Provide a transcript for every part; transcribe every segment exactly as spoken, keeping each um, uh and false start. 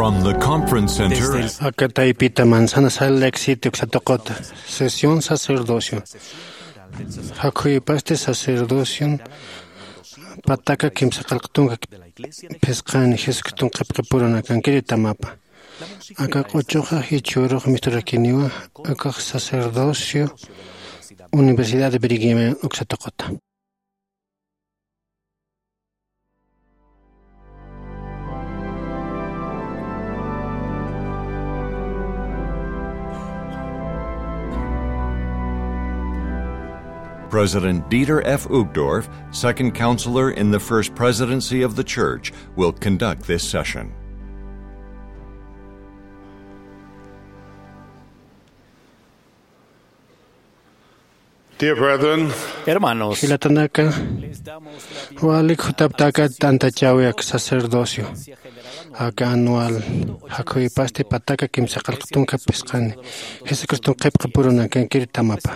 The Conference Center. Desde el Aka taypita manzana sal éxito uksatuqut. Sesión sacerdocio. Jakhuypasti sacerdocion pataka kimsa qallq tunka phisqani Jesucriston qhipqipurunakankiri tamapa. Aka q'uchuxa jichhürux misturakiniwa, akax sacerdocio Universidad de Brigham Young uksatuquta. President Dieter F. Uchtdorf, Second Counselor in the First Presidency of the Church, will conduct this session. Dear brethren, hermanos, jilatanaka, walik jutaptaka tantachäwi aka sacerdocio, aka anual jakhuypasti pataka kimsa qallq tunka phisqani Jesucriston qhipqipurunakankiri tamapa.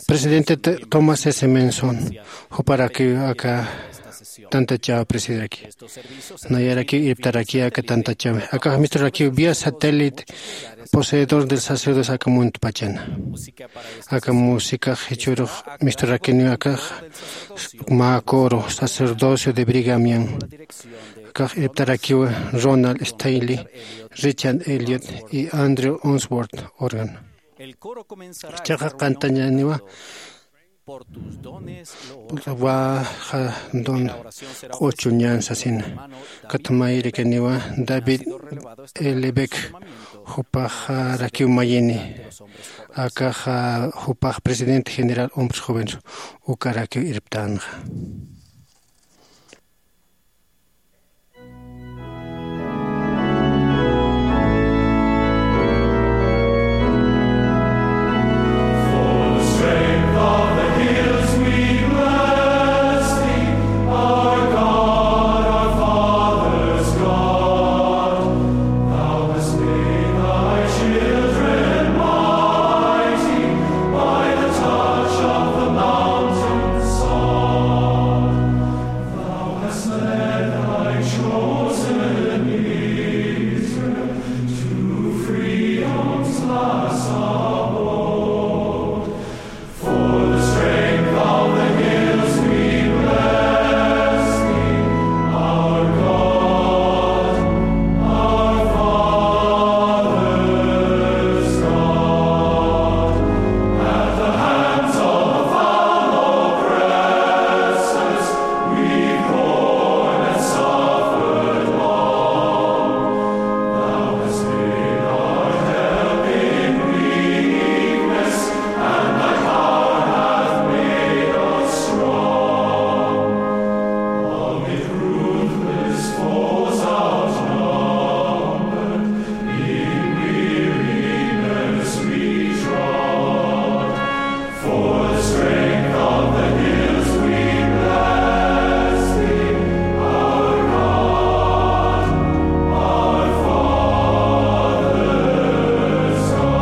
Presidente T-, Thomas S. Monson, juparakiw aka tantachäw presidirakiw. Nayarakiw irptarakiw aka tantachäwi. Aka misturakïw vía satélite, poseedor del sacerdocio aka muntpachana. Aka música jichhürux misturakiniw akax mä coro, sacerdocio de Brigham Young. Akax irptarakiw Ronald Stanley, Richard Elliott y Andrew Unsworth, órgano. Jichhaxa qantañäniwa Waxa don q'uchuñan sasina. Katmayirikaniwa David L. Beck, jupaxarakiw mayini. Akaxa jupax presidente general hombres jóvenes, ukarakiw irptänxa. Thou hast led thy chosen Israel to freedom's last abode. For the strength of the hills we bless thee, our God, our Father's God. At the hands of the foul oppressors, we've borne and suffered long. Thou hast been our help in weakness, and thy power hath made us strong. Amid ruthless foes outnumbered, in weariness we trod. For the strength of the hills we bless thee, our God, our Father's God.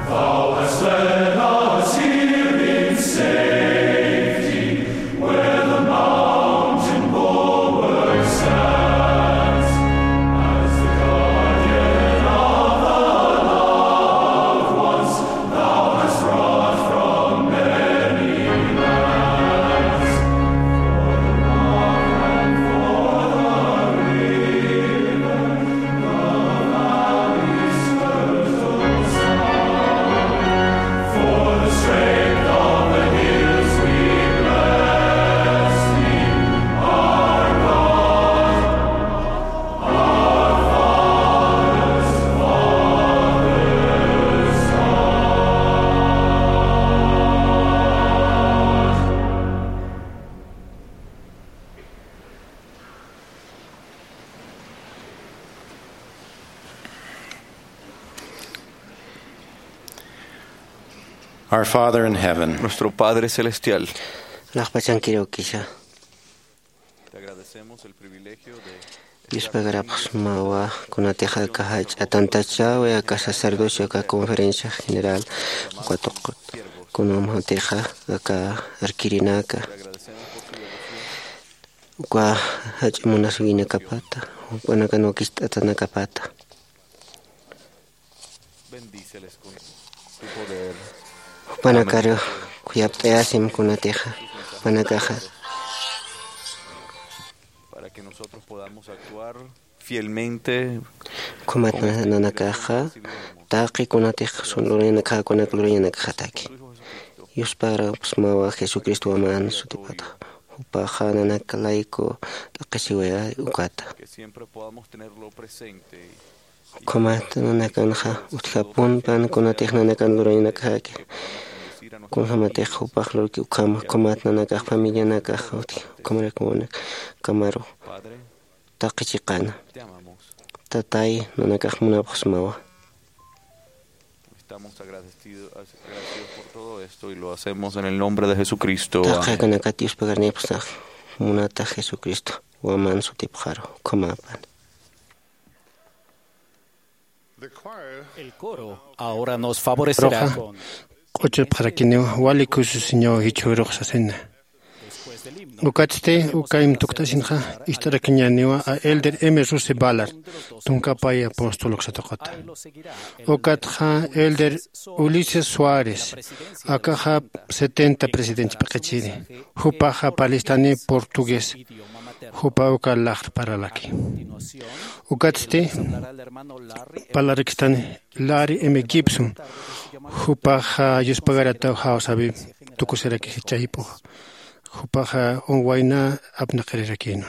Thou hast led us here in safety, where the mountain bulwark stands. As the guardian of the loved ones, thou hast brought from many lands. For the rock and for the river, Our Father in heaven, nuestro Padre Celestial, laqpachankirukisa. Te agradecemos el privilegio de Yuspagarapxsmawa, kunatixa aka jach'a tantachäwi, aka sacerdocio, aka conferencia general, uka tuqut, kunamatixa aka arkirinaka, uka jach'a munasïwinakapata, jupanakan wakist'atanakapata. Jupanakaru khuyapt'ayasim kunatixa, jupanakaxa. Para que nosotros podamos actuar fielmente. Ukhamat nanakaxa, taqi kunatix sun lurañanakaxa, kunak lurañanakaxataki. Yuspagarapxsmawa Jesucristo waman sutipata. Jupaxa nanaka layku t'aqhisiwaya ukata. Que siempre podamos tenerlo presente. Ukhamat nanakanxa utjapunpan kunatix nanakan lurañanakjaki. Kunjamatix jupax lurki ukhama, ukhamat nanakax familianakax utji, ukhamarakimunak kamaru taqi chiqana. Tatay, nanakax munapxsmawa. Estamos agradecidos, agradecidos por todo esto y lo hacemos en el nombre de Jesucristo. Amén. Taqi akanakat Diospagarnipxsax, munata Jesucristo waman sutipxaru, ukhamapan. El coro ahora nos favorecerá. Roxa, con q'uchupxarakiniw, wali kususiñaw jichhürux sasina. Ukatsti, uka imtukt'asinxa, ist'arakiñäniwa a Elder M. Russell Ballard, tunka pay apóstol uksatuqata. Ukatxa Elder Ulises Suárez, akaxa setenta presidente p'iqichiri, jupaxa parlistani portugués, jupa uka laxr paralaki. Ukatsti, parlarakistani Larry M. Gibson, jupaxa yuspagarataw jawsäwi tukusiraki jichha jip'ux, jupaxa wayna apnaqirirakïnwa.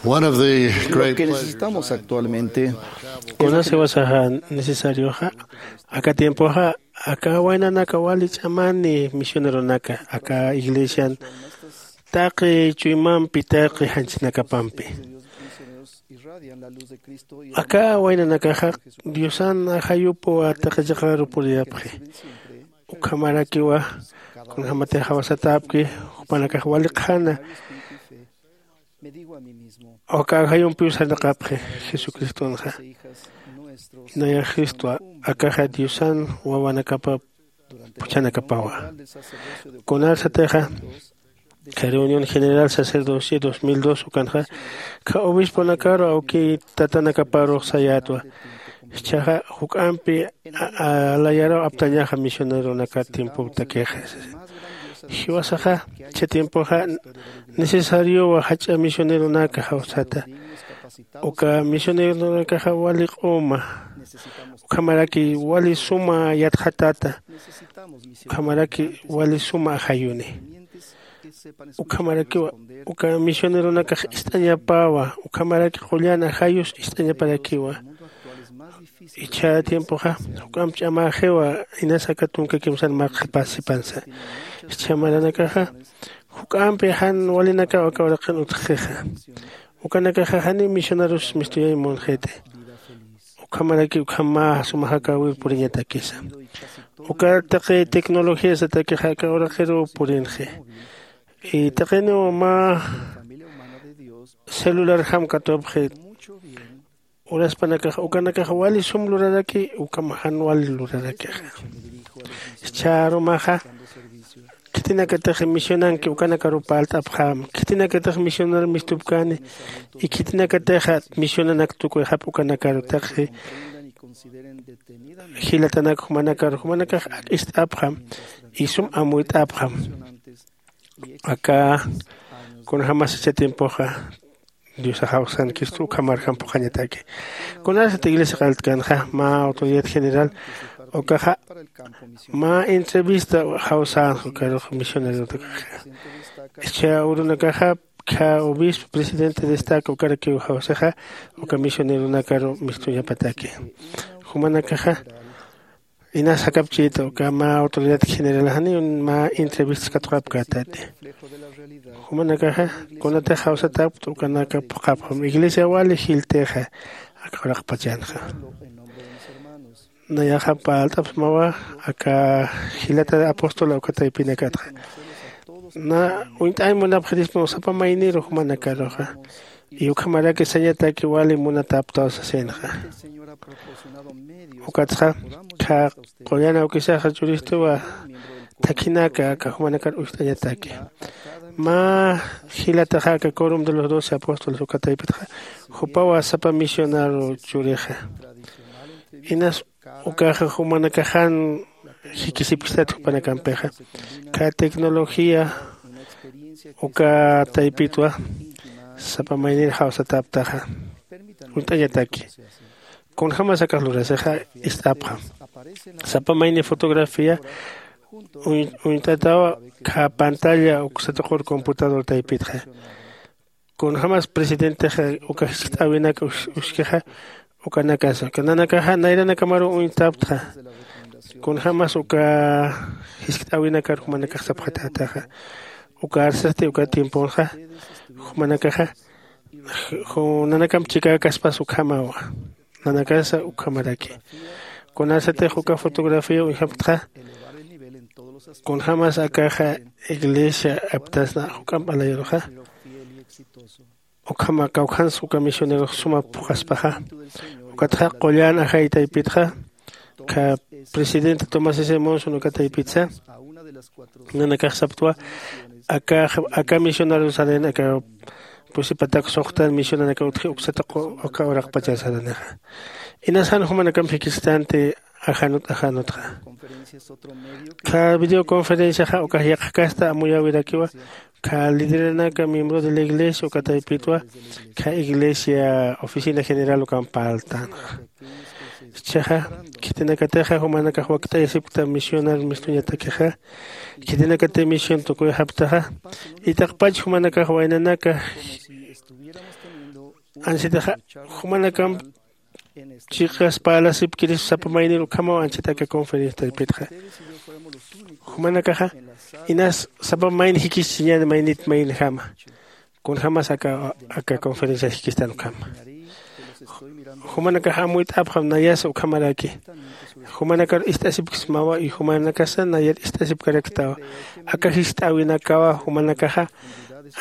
One of the great pleasures necesitamos actualmente. Kunasa wasaxa necesarioxa aka tiempoxa aka waynanaka wali ch'amani misioneronaka aka iglesian taqi chuymampi taqi janchinakapampi. Aka waynanakaxa diosan ajayupu atiqachiqaru puriyapxi. Ukhamarakiwa kunjämatix jawsatäpki jupanakax wali qhana aka ajayumpiw sarnaqapxi. Jesucristonxa nayax cristwa akaxa diosan wawanakapa phuchhanakapawa. Kunarsatixa kha reunión general sacerdocio dos mil dos ukanxa kha obisponakaru awki tatanakaparux sayätwa. Jichhaxa juk'ampi alayaraw aptañaxa misioneronaka tiempoptakixa. Jiwasaxa jichha tiempoxa necesariowa jach'a misioneronaka jawsata. Uka misioneronakaxa wali q'uma ukhamaraki wali suma yatxatata. Ukhamaraki wali suma ajayuni. Ukhamarakiwa uka misioneronakax ist'añapawa. Ukhamaraki qullan ajayus ist'añaparakiwa. Ichha tiempoxa juk'amp ch'amaxiwa. Inas aka tunka kimsan marqhipasipansa. Ichha maranakaxa juk'ampi jan walinakaw aka uraqin utjxixa. Ukanakaxa janiw misionarus mistuyay munxiti. Ukhamaraki ukhama suma jakäwir puriñatakisa. Uka taqi tecnologiasatakixa aka uraqiruw purinxi. Y taqiniw mä celularjam katupxi. Uraspanakax ukanakax wali sum luraraki ukham jan wali lurarakixa. Jichhärumaxa khitinakatix misionanki ukanakaruw parlt'apxäma. Khitinakatix misionar mistupkäni y khitinakatixa misionanak tukuyxap ukanakaru taqi jilatanak jumanakaru jumanakax ak'ist'apxam y sum amuyt'apxam. Aka kunjämas jichha tiempoxa diosax jawsankista ukhamarjam phuqhañataki. Kunasat iglesia qalltkanxa mä autoridad general ukaxa mä entrevista jawsänxa ukarux misionerotakxa. Jichha urunakaxa kha obispo presidente destaca ukarakiw jawsixa uka misioneronakaru mistuñapataki. Jumanakaxa inas jakapchïta uka mä autoridad general janiw mä entrevistas katuqapkätati. Jumanakaxa kunatix jawsatäpkta ukanaka phuqhapxam iglesia wali jiltixa aka uraqpachanxa. Nayaxa parlt'apxmawa aka jilata apóstola uka taypinakatxa. Na uñt'añ munapxirispaw sapa mayniru jumanakaruxa. Y ukhamaraki sañataki wali munatäptaw sasinxa. Ukatxa kha qullan awkisaxa churistuwa thakhinaka aka jumanakar uñt'añataki. Mä jilataxa aka corum de los doce apóstoles uka taypitxa jupawa sapa misionaru churixa. Inas ukaxa jumanakaxan jikisipkistat jupanakampixa. Kha tecnología uka taypitwa sapa maynir jawsatäptaxa. Uñt'añataki kunjämas akax lurasixa ist'apxam. Sapa mayni fotografía uñt'atawa kha pantalla uksatuqur computador taypitxa. Kunjämas presidentexa uka jiskt'äwinak uskixa ukanakasa nanakaxa nayranakamaruw uñtaptxa. Kunjämas uka jiskt'äwinakar jumanakax sapxatätaxa. Uka arsasti uka tiemponxa jumanakaxa nanakam chikäkaspas ukhamawa. Nanakasa ukhamaraki kunasatix uka fotografía uñjapktxa. Kunjämas akaxa iglesia aptasna juk'amp alayaruxa. Ukhama kawkhans uka misionerux suma phuqhaspaxa. Ukatxa qullan ajay taypitxa kha presidente tomás s monson uka taypitsa nanakax saptwa aka misionaru salen aka pusi patak suxtan misionanaka utji uksata uka uraqpachar saranixa. Inas jan jumanakamp jikistanti ajanut ajanutxa. Kha videoconferenciaxa ukax yaqha kasta amuyäwirakiwa kha lideranaka miembro de la iglesia uka taypitwa kha iglesia oficina general ukamp parltänxa. Jichhaxa khitinakatixa jumanakax wakt'ayasipkta misionar mistuñatakixa. Khitinakati misión tukuyxaptaxa itaqpach jumanakax waynanaka Ansitaxa jumanakamp chiqas parlasipkiris sapa maynir ukhamaw ansita aka conferencia taypitxa. Jumanakaxa inas sapa mayni jikisiñan maynit maynjama kunjämas aka aka conferenciar jikistan ukhama. Jumanakaxa amuyt'apxam nayasa ukhamaraki. Jumanakar ist'asipksmawa y jumanakasa nayar ist'asipkaraktawa. Aka jist'äwinakawa jumanakaxa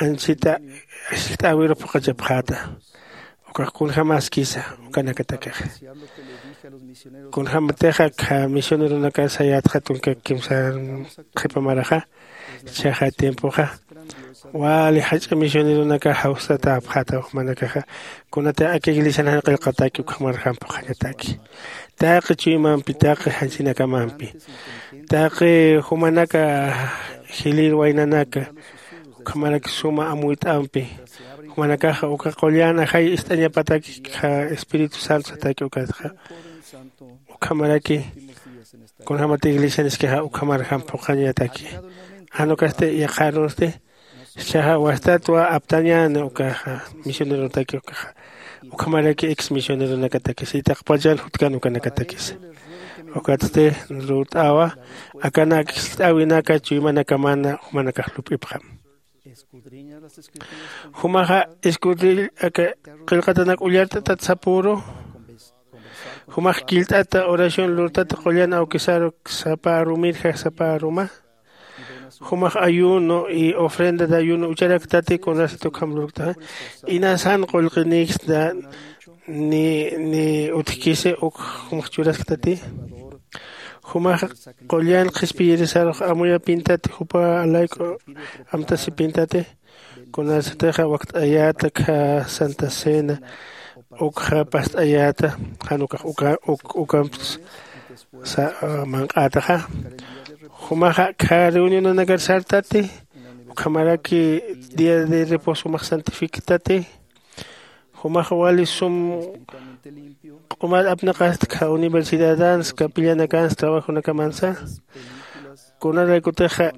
ansita jist'äwiru phuqhachapxäta. Ukax kunjämaskisa ukanakatakixa. Kunjämatixa akha misioneronakar sayätxa tunka kimsar qhipa maraxa. Jichhaxa tiempoxa wali jach'a misioneronakax jawsatäpxäta jumanakaxa. Kunatix aka iglesian jan qillqataki ukhamarjam phuqhañataki taqi chuymampi taqi janchinakamampi taqi jumanaka jilïr waynanaka ukhamaraki suma amuyt'ampi. Jumanakaxa uka qullan ajay ist'añapataki. Espíritu santo sataki ukatxa ukhamaraki kunjämati iglesianiskixa ukhamarjam phuqhañataki. Jan ukasti yaqharunsti jichhaxa wastatwa aptañäni ukaxa misionerontaki ukaxa ukhamaraki ex misioneronakatakisa itaqpachan jutkan ukanakatakisa. Ukatsti lurt'awa akanak jist'äwinaka chuymanakaman jumanakax lup'ipxam. Jumaxa escudrill aka qillqatanak ullart'atat sapüru. Jumax killt'ata oración lurtata qullan awkisaruk sapa arumirjax sapa aruma. Jumax ayuno y ofrenda de ayuno ucharaktati kunasat ukham lurktaxa. Inasan qullqinïksta ni ni utjkisi uk jumax churasktati. Jumax qullan qhispiyirisarux amuyapintati jupa layku amtasipintati. Kunasatixa wakt'ayäta kha santa cena ukxa past'ayäta jan ukax ukamps manq'ätaxa. Jumaxa kha reunionanakar sartati ukhamaraki día de reposo jumax santifiktati. Jumaxa wali sum q'umat apnaqasta kha universidadans capillanakans trabajonakamansa. Kunaraykutixa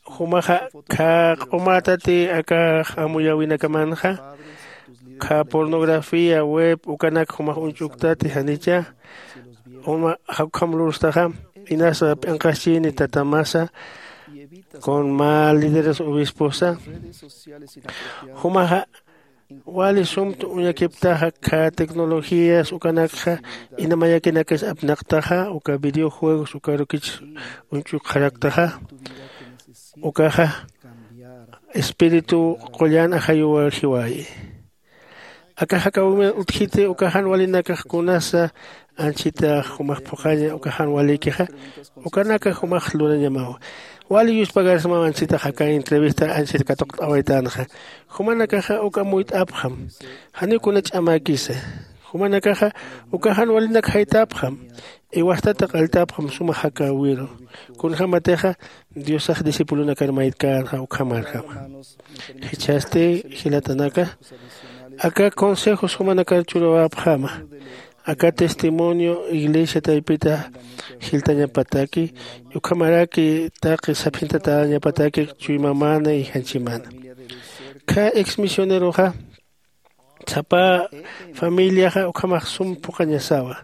jumaxa kha q'umatati akax amuyäwinakamanxa kha pornografía web ukanak jumax uñch'uktati janicha. Uma jakukham lurstaxa inasa p'inqaschini tatamasa con mä lideres obisposa. Jumaxa wali sumtu uñakiptaxa kha tecnologías ukanakxa ina mayakinakis apnaqtaxa uka videojuegos ukarukich uñch'ukxaraktaxa. Ukaxa espíritu qullan ajayuwar jiwayi. Akax akawimir utjiti ukaxan walinakax kunasa anchita jumax phuqhaña ukaxan walikixa ukanakax jumax lurañamawa. Wali yuspagarsmaw anchitax aka entrevista anchita katuqt'awaytänxa. Jumanakaxa uk amuyt'apxam. Janiw kuna ch'amäkisa. Jumanakaxa ukaxan walinak jaytäpxam. Iwastata qalltäpxam suma jakäwiru kunjämatixa diosax discipulonakar maytkänxa ukhamarjama. Jichhasti jilatanaka aka consejos jumanakar churawäpxama. Aka testimonio iglesia taypita jiltañapataki ukhamaraki taqi sapxintatañapataki chuymamana y janchimana. Kha ex misioneroxa sapa familiaxa ukhamax sum phuqhañasawa.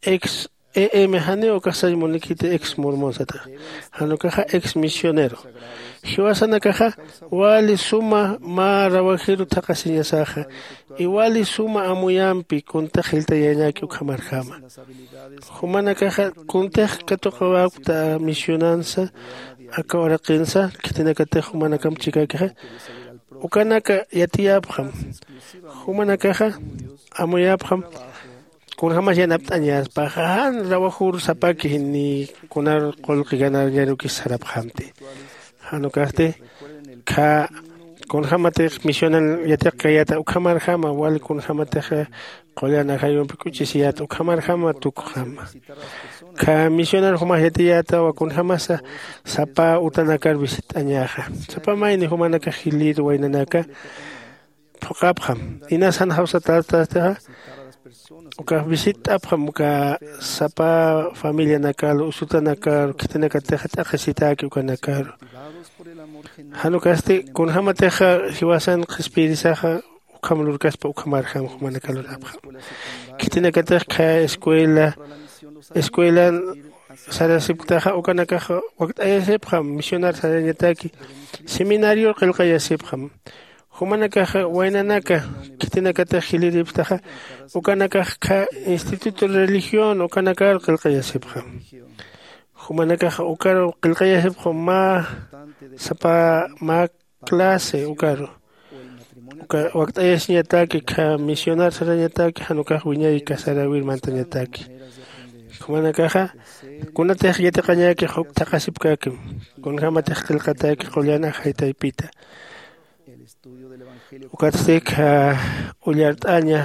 Ex em janiw ukax sañ munikiti ex mormon satax. Jan ukaxa ex misionero jiwasanakaxa wali suma mä rawajiru thaqhasiñasaxa. Iwali suma amuyampi kuntax jiltayañäki ukhamarjama. Jumanakaxa kuntix katuqawäkta misionansa aka uraqinsa khitinakatix jumanakamp chikäkixa ukanaka yatiyäpxam. Jumanakaxa amuyäpxam kunjämas yanapt'añäspaxa jan rawajur sapaki ni kunar qullqi ganarñarukis sarapxamti. Jan ukasti kha kunjämatix misionan yatiqkayäta ukhamarjama wali kunjämatix qullan ajayumpi k'uchisiyäta ukhamarjama tukxama. Kha misionan jumax yatiyätawa kunjämasa sapa utanakar visitt'añäxa. Sapa mayni jumanakax jilïr waynanaka phuqhapxam. Inas jan jawsatätastixa ukax visitt'apxam uka sapa familianakaru usutanakaru khitinakatixa t'aqhisitäki ukanakaru. Jan ukasti kunjämatixa jiwasan qhispiyirisaxa ukham lurkaspa ukhamarjam jumanaka lurapxam. Khitinakatix khä escuela escuelan sarasipktaxa ukanakax wakt'ayasipxam misionar sarañataki seminarior qillqayasipxam. Jumanakaxa waynanaka khitinakatix jiliripktaxa ukanakax khä instituto religión ukanakar qillqayasipxam. Jumanakaxa ukaru qillqayasipxam mä sapa mä clase ukaru uka wakt'ayasiñataki khä misionar sarañataki jan ukax wiñay casarawir mantañataki. Jumanakaxa kunatix yatiqañäkix uk thaqhasipkäkim kunjämatix qillqatäki qullan ajay taypita. Ukatsti khä ullart'aña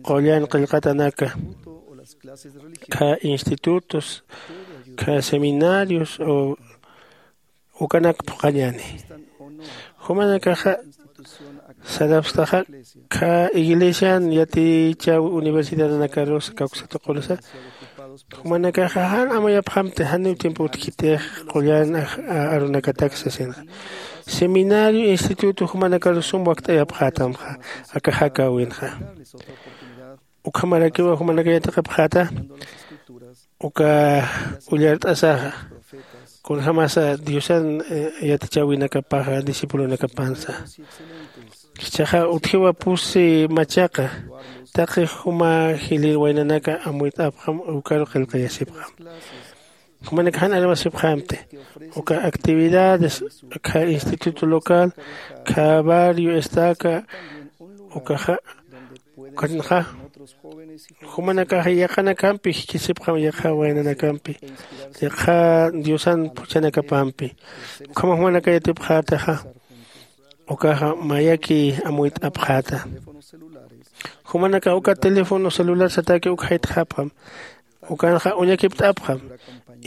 qullan qillqatanaka khä institutos khä seminarios o ukanak phuqhañäni. Jumanakaxa sarapstaxa khä iglesian yatichäwi universidadanakarus kawksatuqunsa jumanakaxa jan amuyapxamti janiw tiempo utjkitix qullan arunakatak sasinxa. Seminario instituto jumanakarus sum wakt'ayapxätamxa aka jakäwinxa. Ukhamarakiwa jumanaka yatiqapxäta uka ullart'asaxa kunjämasa diosan yatichäwinakapaxa discipulonakapansa. Jichhaxa utjiwa pusi machaqa taqi juma jilïr waynanaka amuyt'apxam ukaru qillqayasipxam. Jumanaka jan armasipxamti uka actividades khä instituto local khä barrio estaca ukaxa ukanxa jumanakaxa yaqanakampi jikisipxam yaqha waynanakampi yaqha diosan phuchhanakapampi. Ukhama jumanaka yatipxätaxa ukaxa mayaki amuyt'apxäta. Jumanakax uka teléfono celular sataki uk jaytxapxam ukanxa uñakipt'apxam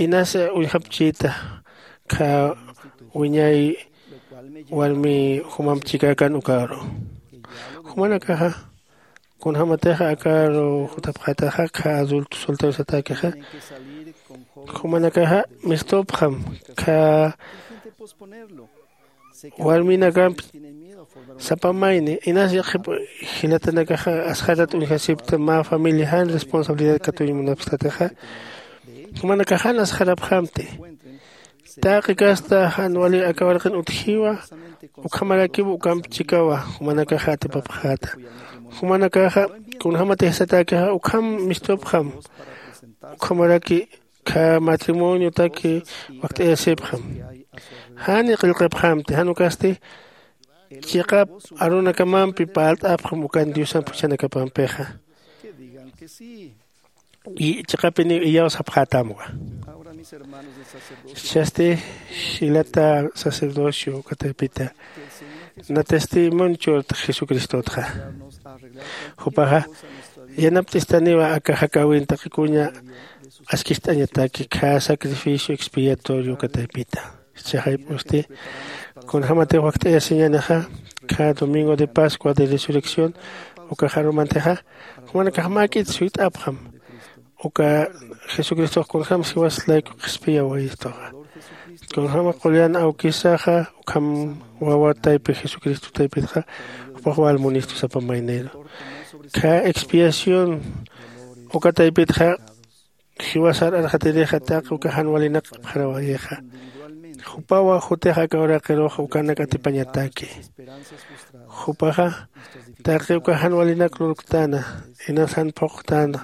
inas uñjapchita khä wiñay warmi jumamp chikäkan ukaru. Jumanakaxa kunjämatixa akaru jutapxätaxa khä adulto soltero satakixa jumanakaxa mistupxam khä warminakamp sapa mayni inas yaqhip jilatanakaxa asxarat uñjasipkta mä familia jan responsabilidad katuñ munapkstatixa jumanakax jan asxarapxamti. Taqi kasta jan wali aka warqin utjiwa ukhamarakiw ukamp chikawa jumanakaxa atipapxäta. Jumanakaxa kunjämatix satäkixa ukham mistupxam ukhamaraki khä matrimoniotaki wakt'ayasipxam. Jani qillqipxamti jan ukasti chiqap arunakamampi parlt'apxam ukan diosan phuchhanakapampixa. Chiqapiniw iyaw sapxätamwa. Jichhasti jilata sacerdocio uka taypita natasti munchurtx jesucristotxa. Jupaxa yanapt'istaniwa aka jakäwin taqikuña askist'añataki khä sacrificio expiatorio uka taypita. Jichhaxa jayp'usti kunjämatix wakt'ayasiñänixa khä domingo de pascua de resurrección ukax arumantixa jumanakax mäk'it suyt'apxam uka jesucristox kunjäm jiwas layku qhispiyawayistuxa. Kunjäm qullan awkisaxa ukham wawa taypi jesucristo taypitxa jupax wal munistu sapa mayniru. Khä expiación uka taypitxa jiwasar arxatirixa taqi uka jan walinak qhipxarawayixa. Jupawa jutix aka uraqiruxa ukanak atipañataki. Jupaxa taqi uka jan walinak lurktäna inas jan phuqtäna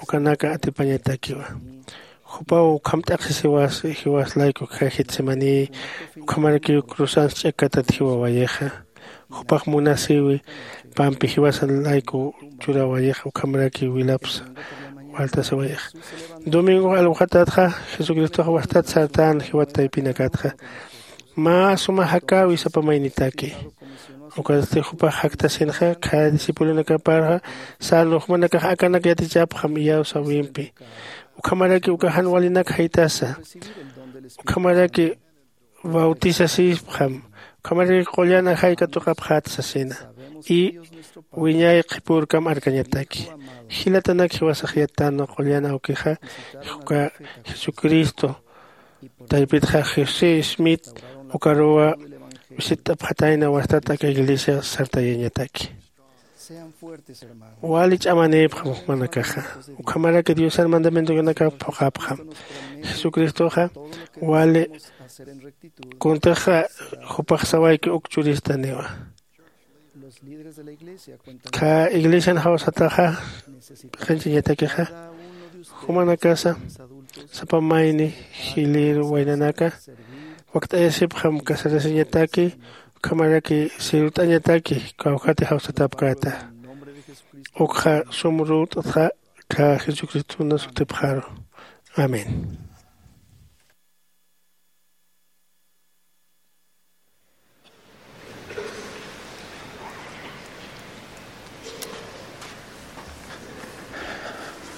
ukanaka atipañatakiwa. Jupaw ukham t'aqhisiwasi jiwas layku khä getsemaní ukhamarakiw cruzans ch'akkatat jiwawayixa. Jupax munasiwi pampi jiwasan layku churawayixa ukhamarakiw wilapsa waltasiwayixa. Domingox alwxatatxa jesucristox wastat sartän jiwat taypinakatxa mä suma jakäwi sapa maynitaki. Ukatsti jupax jaktasinxa khä discipulonakaparxa sänwa jumanakax akanak yatichapxam iyawsäwimpi. Ukhamaraki uka jan walinak jaytasa ukhamaraki bautisasipxam ukhamaraki qullan ajay katuqapxät sasina. Y wiñay qhipürkam arkañataki. Jilatanak jiwasax yattanwa qullan awkixa uka jesucristo taypitxa josé smith ukaruwa visitt'apxatayna wastat aka iglesia sartayañataki. Wali ch'amanïpxam jumanakaxa. Ukhamaraki diosan mandamientokanaka phuqhapxam. Jesucristoxa wali kuntixa jupax sawayki uk churistaniwa. Kha iglesian jawsataxa qhinchañatakixa jumanakasa sapa mayni jilïr waynanaka wakt'ayasipxam casarasiñataki. Ukhamaraki sirut'añataki kawkhati jawsatapkäta. Ukxa sum rut'txa kha jesucristona sutipxaru. Amén.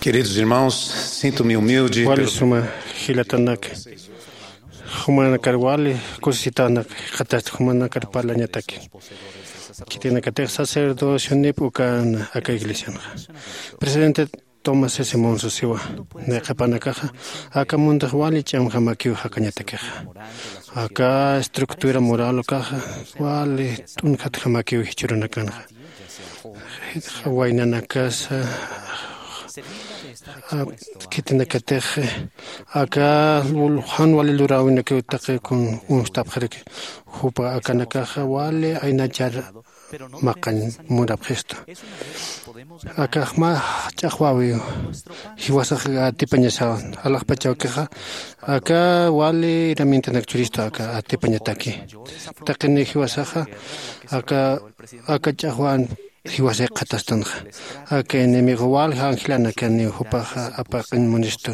Queridos irmãos, sinto-me humilde. Wali suma jilatanaka, jumanakar wali kusisitanak jikxatasti jumanakar parlañataki. Khitinakatix sacerdocionip ukan aka iglesianxa, presidente Tomás S Monson siwa, nayqhipanakaxa aka muntax wali ch'amjamakiw jakañatakixa. Aka estructura moral ukaxa wali t'unjatjamakiw jichhürunakanxa. Waynanakasa khitinakatix aka jan wali luräwinakiw taqi kun uñstapxaraki. Jupa akanakaxa wali aynachar maqañ munapxistu. Akax mä ch'axwäwiw. Jiwasax atipañasawan alaxpachawkixa aka wali herramientanak churistu aka atipañataki. Taqiniw jiwasaxa aka aka ch'axwan jiwasay qhatastanxa. Aka enemigo walja angelanakaniw jupaxa apaqiñ munistu.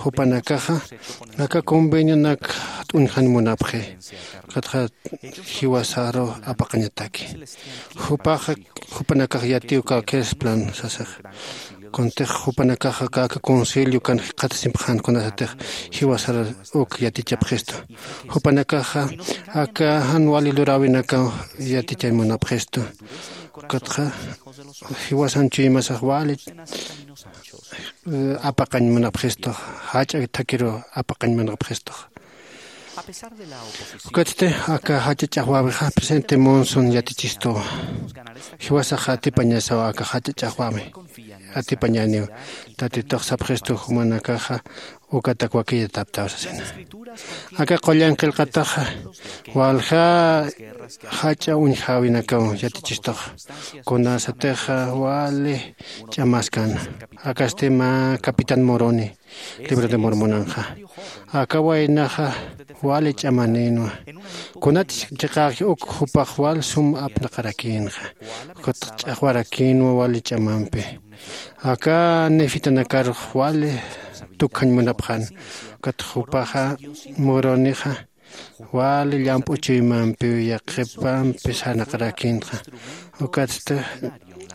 Jupanakaxa aka convenionak t'uñjan munapxi. Ukatxa jiwasaru apaqañataki. Jupaxa jupanakax yatiw cualquier plan sasax. Kuntix jupanakaxa aka concilio kan jikxatasimpxän kunasatix jiwasar uk yatichapxistu. Jupanakaxa aka jan wali luräwinakaw yatichañ munapxistu. Ukatxa jiwasan chuymasax wali apaqañ munapxistu. Jach'a thakiru apaqañ munapxistux. Ukatsti aka jach'a ch'axwäwixa presidente Monson yatichistuwa. Jiwasaxa atipañasawa aka jach'a ch'axwäwi. Atipañäniw. Tatitux sapxistu jumanakaxa ukatak wakiyataptaw sasina. Aka qullan qillqataxa walja jach'a uñjäwinakaw yatichistuxa. Kunasatixa wali ch'amaskan. Akasti mä capitán Moroni libro de Mormonanxa. Aka waynaxa wali ch'amanïnwa. Kunat chiqäxi uk jupax wal sum apnaqarakïnxa. Ukat ch'axwarakïnwa wali ch'amampi. Aka nefitanakarux wali tukjañ munapxän. Ukat jupaxa Moronixa wali llamp'u chuymampiw yaqhipampi sarnaqarakïnxa. Ukatsti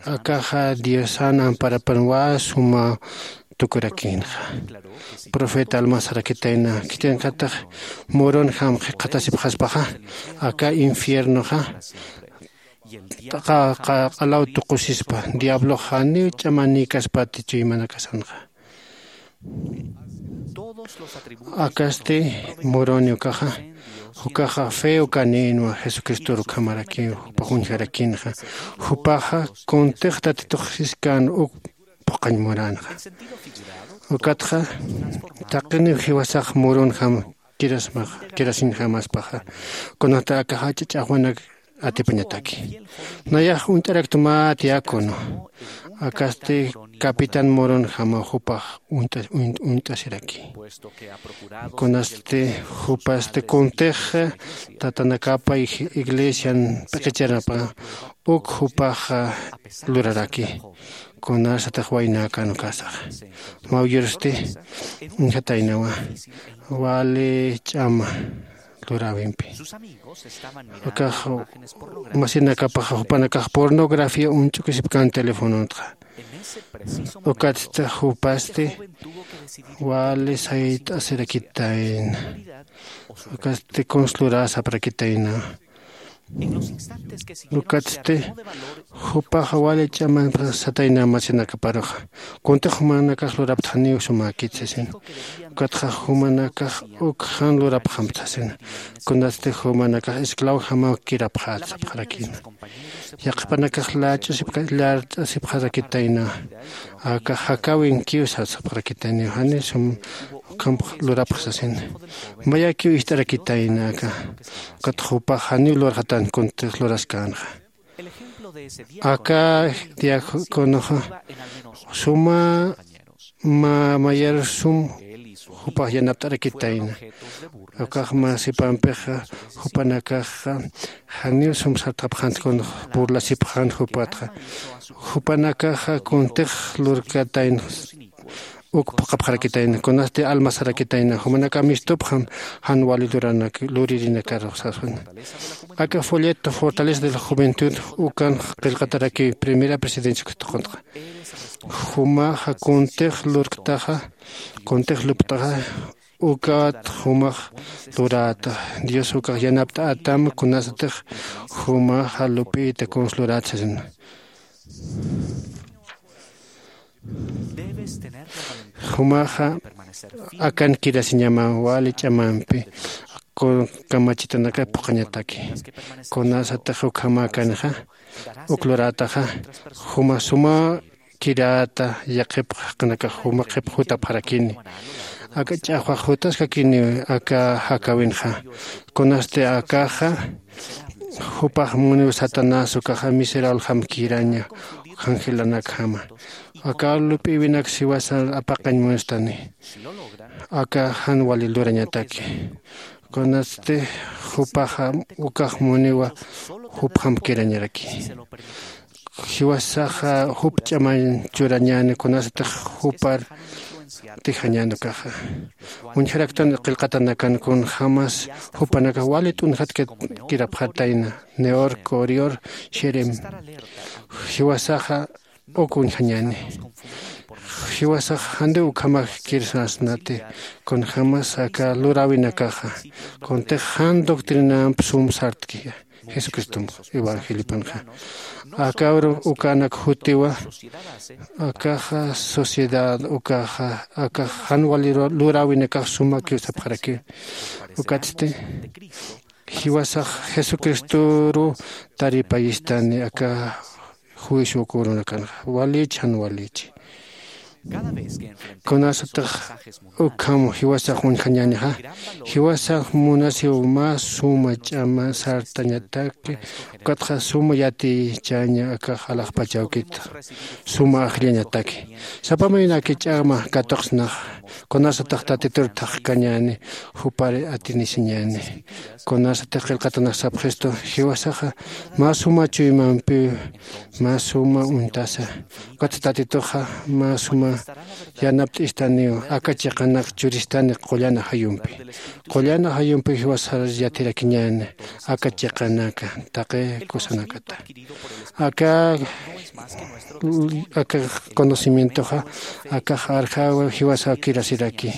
akaxa diosan amparapan wä sumaw tukurakïnxa. Profeta almas sarakitayna khitinakatix Moronjam jikxatasipxaspaxa aka infiernoxa q'alaw tuqusispa. Diablox janiw ch'amanïkaspati chuymanakasanxa. Akasti Moroni ukaxa ukaxa fe ukanïnwa. Jesucristor ukhamarakiw jupax uñjarakïnxa. Jupaxa kuntix tatitux siskan uk phuqhañ muränxa. Ukatxa taqiniw jiwasax Moronjam kirasmaxa kirasiñjamaspaxa. Kunata aka jach'a ch'axwanak atipañataki. Nayax uñt'araktu mä diácono. Akasti capitán Moronjamaw jupax uñt'asiraki. Kunasti jupasti kuntix tatanakapa iglesian p'iqichanapa uk jupax luraraki. Kunasatix waynäkän ukasaxa mawyursti uñjataynawa wali ch'ama luräwimpi. Akax masinakapaxa jupanakax pornografía uñch'ukisipkän telefonontxa. Ukatsti jupasti wali sayt'asirakitayna. Ukatsti kuns luräsaparakitayna. Ukatsti jupaxa wali ch'aman satayna masinakaparuxa. Kuntix jumanakax luraptxaniw sumäkit sasin. Ukatxa jumanakax uk jan lurapxamp sasina. Kunatsti jumanakax esclavojamaw kirapxät sapxarakïna. Yaqhipanakax lach'usipka lart'asipxarakitayna. Aka jakäwinkiw sapxarakitayna jani sum ukhamp lurapxi sasina. Mayakiw ist'arakitayna aka. Ukat jupax janiw lurxatan kuntix luraskänxa. Aka diaconoxa suma mä mayar sum jupax yanapt'arakitayna. Ukax mä sipampixa jupanakaxa janiw sum sartapxant kun burlasipxan jupatxa. Jupanakaxa kuntix lurkatayna uk phuqhapxarakitayna kunasti almasarakitayna jumanaka mistupxam jan wali luririnakaruxsasuna. Aka folleto fortaleza de la juventud ukan qillqataraki primera presidencia kustuquntaxa. Jumaxa kuntix lurktaxa kuntix lupt'axa ukat jumax luräta. Dios ukax yanapt'atam kunasatix jumaxa lup'ita kuns luräta sasina. Jumaxa akan kirasiñama wali ch'amampi kamachitanaka phuqhañataki. Kunasatix ukhama akanixa uk lurätaxa juma suma kirata yaqhipxaqnaka juma qhipxutapxarakini. Aka ch'axwax jutaskakini aka jakäwinxa. Kunasti akaxa jupax muniw satanás ukaxa miserablejam kiraña jangelanakjama. Aka lup'iwinak siwasa apaqañ munstani aka jan wali lurañataki. Kunasti jupaxa ukax muniwa jupjamp kirañaraki. Jiwasaxa jup ch'amañ churañäni kunasatix jupar tijañäni ukaxa. Uñjaraktan qillqatanakan kunjämas jupanakax wali t'unjatkirapxatayna. Neor, corior, sherem. Jiwasaxa uk uñjañäni. Jiwasax jandiw ukhamax kirsasnati kunjämas aka luräwinakaxa kuntix jan doctrinamp sum sartkiya jesucristomx evangeliopanxa. Aka ukanak jutiwa akaxa sociedad ukaxa akax jan wali luräwinakax sumakiw sapxarakiw. Ukatsti jiwasax jesucristoru taripayistani aka juicio kurunakanxa. Walichi jan walichi kunasatix ukham jiwasax uñjañänixa jiwasax munasiw mä suma ch'ama sartañataki. Ukatxa suma yatichaña akax alaxpachawkit suma ajllañataki. Sapa mayna aki ch'ama katuqsnax kunasatix tatitur thaqkañäni jupar atinisiñäni. Kunasatix qillqatanax sapxistu jiwasaxa mä suma chuymampiw mä suma uñtasa. Ukatsa tatituxa mä suma yanapt'istaniw aka chiqanak churistani qullan ajayumpi. Qullan ajayumpi jiwasar yatirakiñäni aka chiqanaka taqi kusanakata. Aka aka conocimientoxa akax arjaw jiwasaw kirasiraki.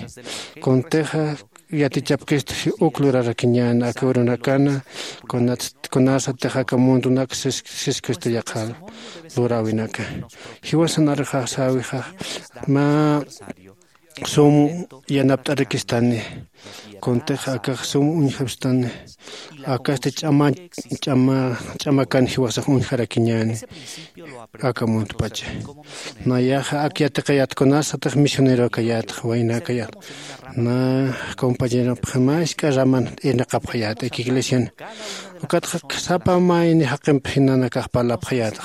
Kuntixa yatichapkistu uk lurarakiñäni aka urunakana kunasatix aka mundunak siskustu yaqha luräwinaka. Jiwasan arjaxsäwixa mä sum yanapt'arakistani. Kuntix akax sum uñjapstani. Akasti ch'ama ch'ama ch'amakan jiwasax uñjarakiñäni aka muntpacha. Nayaxa ak yatiqayät kunasatix misioneroakayätxa waynakayät na compañeropxi mä isk'a raman irnaqapxayät aka iglesian. Ukatxa sapa mayni jaqimp jinanakax parlapxayätxa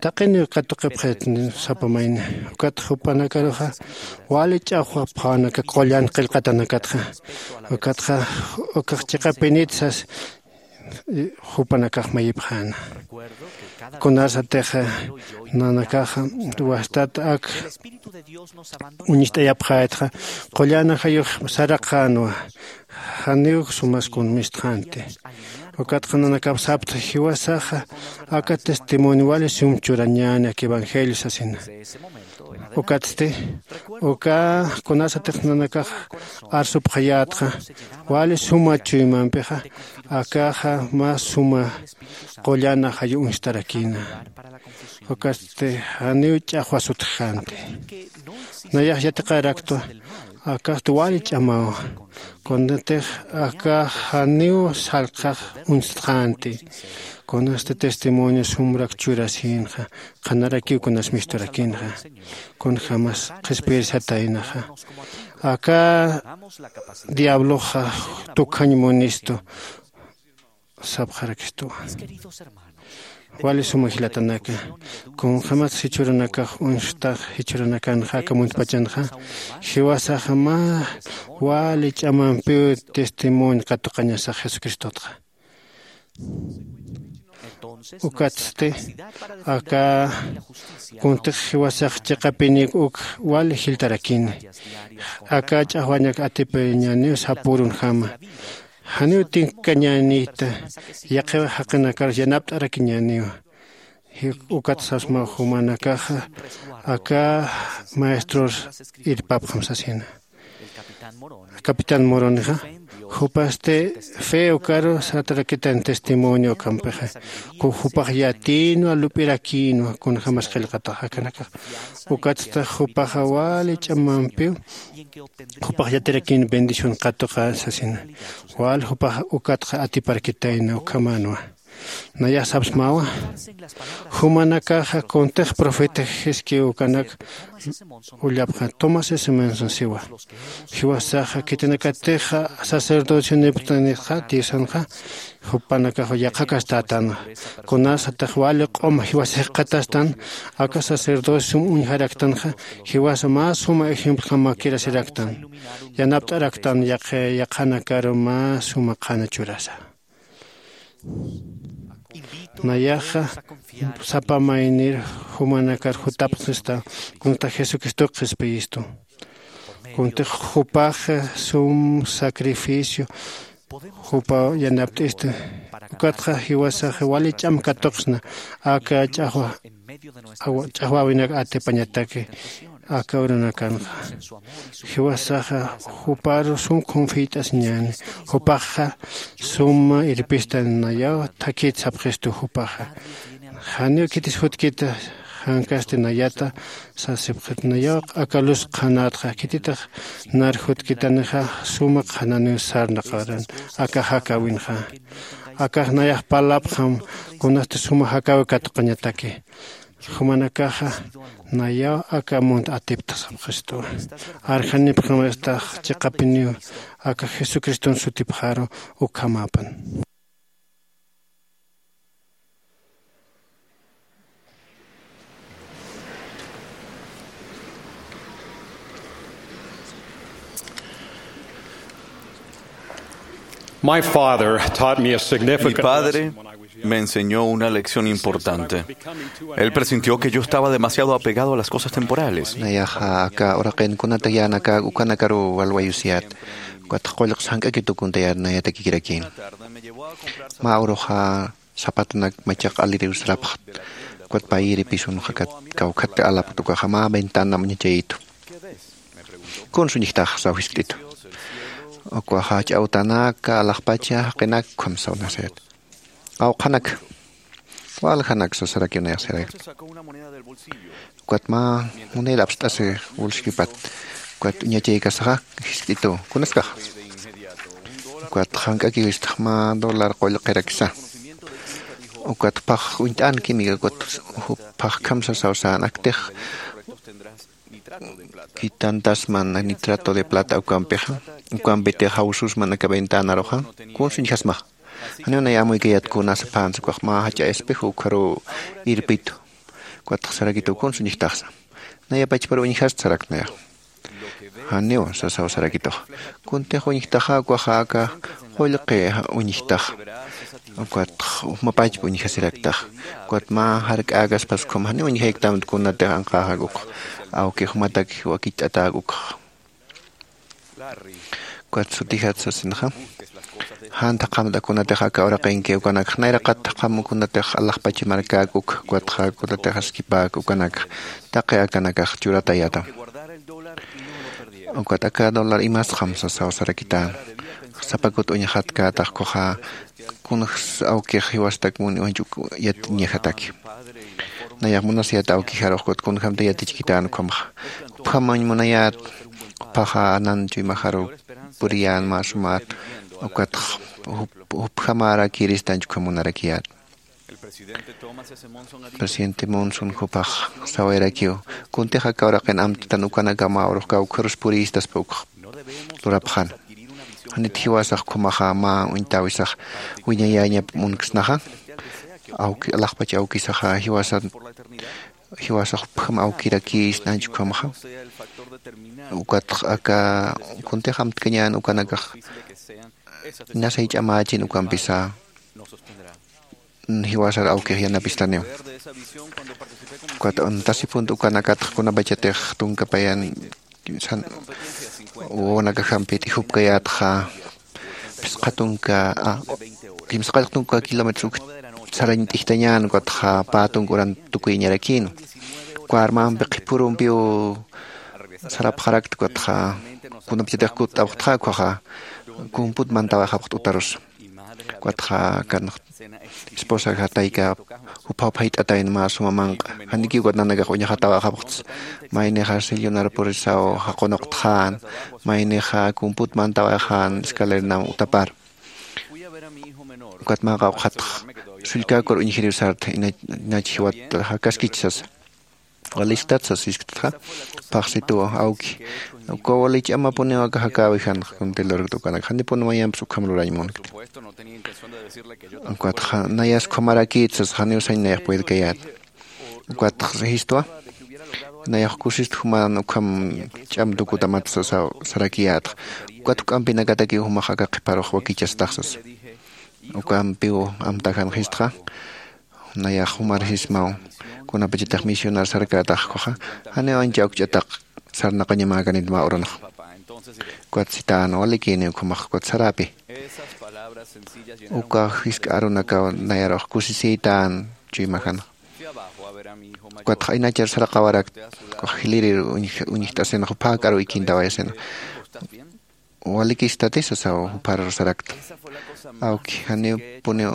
taqiniw katuqipxit sapa mayni. Ukat jupanakaruxa wali ch'axwapxänaka qullan qillqatanakatxa. Ukatxa ukax chiqapinit sas jupanakax mayipxäna. Kunasatix nanakaxa wastat ak uñist'ayapxätxa qullan ajayux saraqänwa. Janiw sumas kunmistxänti. Ukatxa nanakap sapxta jiwasaxa aka testimonio wali sum churañäni aka evangelio sasina. Ukatsti uka kunasatix nanakax arsupxayätxa wali suma chuymampixa Akaxa mä suma qullana jayu uñstarakïna. Ukatsti janiw ch'axwa sutjxänti. Nayax yatiqaraktwa. Akasti wali ch'amawa. Kunatix akax janiw salqax uñstxänti. Kunasti testimonio sumrak churasïnxa, qhanarakiw kunas misturakïnxa, kunjämas qhispiyirsataynaxa. Aka diabloxa tukjañ munistu sapxarakistuwa. Wali suma jilatanaka, kunjämas jichhürunakax uñstax jichhürunakanxa aka muntpachanxa, jiwasaxa mä wali ch'amampiw testimonio katuqañasax Jesucristotxa. Ukatsti aka kuntix jiwasax chiqapinïk uk wali jiltarakini. Aka ch'axwañak atipiriñäniw sapürunjama. Janiw tinkañänïta, yaqhiw jaqinakarus yanapt'arakiñäniwa. Ukat sasmaw jumanakaxa aka maestros irpapxam sasina. Capitán Moronxa, jupasti fe ukaru saratarakitayna testimonio ukampixa. Ku jupax yatïnwa, lup'irakïnwa, kunjämas qillqatax akanakax. Ukatsti jupaxa wali ch'amampiw jupax yatirakïn bendición katuqa sasina. Wal jupax ukatxa atiparkitayna ukhamänwa. Nayax sapsmawa, jumanakaxa kuntix profeta Jiskiw ukanak ullapxä, Thomas S. Monson siwa. Jiwasaxa khitinakatixa sacerdocio niptanitxa Diosanxa, jupanakax yaqhakastätanxa. Kunasatix wali q'um jiwasix jikxatastan, aka sacerdocio sum uñjaraktanxa, jiwasa mä suma ejemplojamakirasiraktan. Yanapt'araktan yaqha, yaqhanakaru mä suma qhana churasa. Nayaxa sapa maynir jumanakar jutapxista, kunata Jesucristox qhispiyistu. Kuntix jupax sum sacrificio jupa yanapt'ista. Ukatxa jiwasax wali ch'am katuqsna aka ch'axwa awa-, ch'axwäwinak atipañataki aka urunakanxa. Jiwasaxa juparu sum confiat'asiñäni, jupaxa suma irpista nayaw thakït sapxistu jupaxa. Janiw khitis jutkita, jankasti nayata sasipxit nayaw aka luz qhanätxa, khititix nar jutkitanixa suma qhananiw sarnaqaran aka jakäwinxa. Akax nayax parlapxam kunasti suma jakäwi katuqañataki. Jumanakaxa nayaw aka munt atipta sapxistuwa. Arjanipxam estax chiqapiniw aka Jesucriston sutipxaru ukhamäpan. My father taught me a Mi significant padre lesson when I was young. Me enseñó una lección importante. Él presintió que yo estaba demasiado apegado a las cosas temporales. Nayaxa aka uraqin kunata yänaka ukanakaru walwayusiyät. Ukat qullqs jank'akit ukunta yänayatakikirakïn. Mä uruxa sapatunak machaq aliriw sarapxta. Ukat payïri pisunxa kat kawkhat alapkta, ukaxa mä ventanam uñachayitu. Kunsa uñjtax saw jiskt'itu. Ukaxa jach'a awtanaka, alaxpacha, jaqinak ukham saw nasayat. Qawqhanak, waljanak sasarakiw nayax sirayat. Ukat mä munir apst'asi bolsillopat. Ukat uñachaykasaxa jiskt'itu. Kunaskax? Ukat jank'akiw istax mä dólar qullqirakisa. Ukat phax uñt'änkimi, ukat phaxkham sasaw sän, aktix quitantasman nitrato de plata ukampixa, ukampitix jawsusman aka ventanaruxa, kunsa uñjasmaxa. Janiw nay amuykayät kuna saphansa, ukax mä jach'a espejo ukharuw irpitu. Ukatx sarakitu kunsa uñjtaxsa. Naya pachparu uñjasta sarakta nayax. Janiw sasaw sarakituxa. Kuntix uñjtaxa ukaxa aka qullqi uñjtaxa. Ukatx juma pachpa uñjasiraktaxa. Ukat mä jark'äkaspas ukham janiw uñjayktamta kunatix anqäxak ukxa. Awki jumatak wakicht'atäk ukxa. Ukat sutijat sasinxa. Jan thaqhamta kunatix aka uraqinki ukanakxa nayraqat thaqham kunatix alaxpach markäk uk, ukatxa kunatix askipäk ukanakxa taqi akanakax churatayätam. Ukat aka dólar imasxam sasaw sarakitän. sapakut uñxatkätax ukhaxa kunjs awkix jiwastak mun uñjach uk yatiñajataki. Nayax munasiyat awkijarux kut kunjamta yatichkitän ukhamaxa. Jupjamañ munayät juphaxa anan chuymajaru puriyän mä sumat. Ukatx jupjamarakiristanch ukham munarakiyät. Presidente Monson jupax sawayrakiw kuntix aka uraqin amtatan ukanakaw mä urux kawkharus purïstaspa ukx lurapxan. Janit jiwasax ukhamaxa mä uñtäwisax wiñayäñap munksnaxa. Awki alaxpach awkisaxa jiwasa jiwasax jupjam awkirakïsna anch ukhamaxa. Ukatx aka kuntix amtkañän ukanakax inasay ch'amächin ukampisa jiwasar awkix yanapistaniw. Ukat untasipunta ukanakatx kunapachatix tunkapayan wawanakajampi t'ijupkayätxa phisqa tunka kimsaqallq tunka kilómetros uk sarañ t'ijtañän ukatxa pä tunka uran tukuyañarakïn. Uka armampi qhipürumpiw sarapxarakta ukatxa kunapachatix kutt'apxtxa ukhaxa kumput mantawayxapxt utarusa. Ukatxa kan esposaxa tayka jupha uphayt'atayn mä suma manq'a janikiw ukat nanakax uñxatawayxapxts. Maynixa sillunar purisaw jaqunuqtxän maynixa kumput mantawayxän escalernaw utapar. Ukat mä qawqhatx sullkäkur uñjiriw sarta inach jiwat jakaskich sasa. Walistat sasisktatxa phaxsituwa awki uka wali ch'amapuniw aka jakäwijan kunti lurkta ukanak janipuni mayampis ukham lurañ munkti. Ukatxa nayas ukhamarakït sasa janiw sañ nayax puedkayät. Ukatxa jistwa nayax kusist juman ukham ch'am tukutamat sasaw sarakiyätxa. Ukat juk'ampinakatakiw jumax aka qhiparux wakichastax sasa. Ukampiw amtajan jistxa nayax jumar jismaw kunapachatix misionar sarkätax ukhaxa janiw ancha awkch'ataq sarnaqañamäkanit mä urunxa. Ukat sitän walikïniw ukhamax ukat saräpi uka jisk'a arunakaw nayarux kusisïtän chuymajanxa. Ukatxa aynachar saraqawarakt ukax jilirir uñjt'asinxa jupha jak'aruw ikintawayasina. Walikistati sasaw jupharur sarakta. Awki janipuniw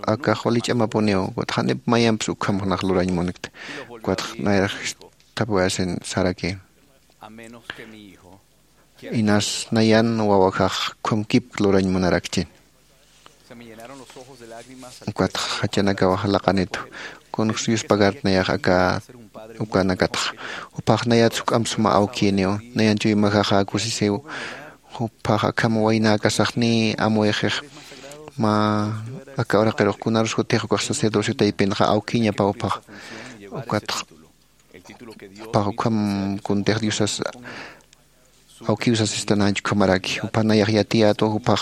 akax wali ch'amapuniw ukatxa janip mayampis ukham junax lurañ munkta. Ukatxa nayrax jisthapuwayasin saraki inas nayan wawajax ukham kipk lurañ munarakchi. Ukatxa jachanakaw jalaqanitu kunjs yuspagart nayax aka ukanakatxa. Juphax nayat juk'amp suma awkïniw nayan chuymajaxa kusisiw. Juphax akham waynäkasaxniy amuyxix mä aka uraqirux kunarus jutix ukax sacerdocio taypinxa awkïñapaw juphax. Ukatxa juphax ukham kuntix diosas awkiw sasistan anch ukhamaraki jupha nayax yatiyätwa juphax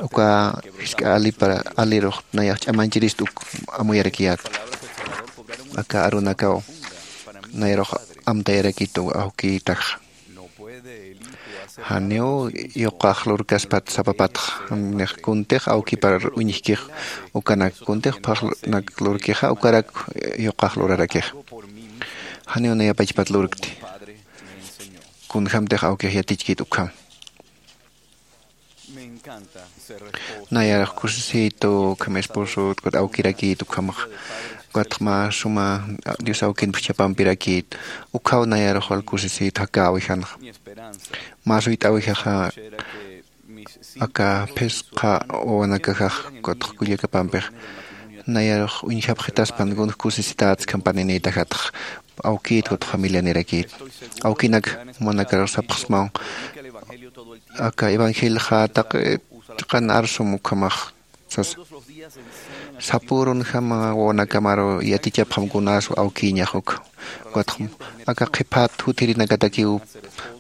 uka jisk'a alipar alirux nayax ch'amañchirist uk amuyarakiyätwa. Aka arunakaw nayarux amtayarakitu awkïtaxa. Janiw yuqax lurkaspat sapapatxa nix kuntix awkipar uñjkix ukanak kuntix phaxnak lurkixa ukarak yuqax lurarakixa. Janiw nayapachpat lurkti kunjämtix awkix yatichkit ukham. Nayarux kusisïtu ukham esposot ukat awkirakït ukhamax ukatx mä suma dios awkin phuchhapampirakït. Ukhaw nayarux wal kusisïtu jakäwijanxa mä suyt'äwijaxa aka phisqa wawanakajax ukatx kullakapampix nayarux uñjapxitaspan kunx kusisitäts khampaninïtaxatx awkït ukatx familianirakït. Awkinak jumanakarux sapxsmaw aka evangelioxa taqi chiqan arsum ukhamax sasa. Sapürunjama wawanakamaru yatichapxam kunas awkïñax ukha ukatx aka qhiphat jutirinakatakiw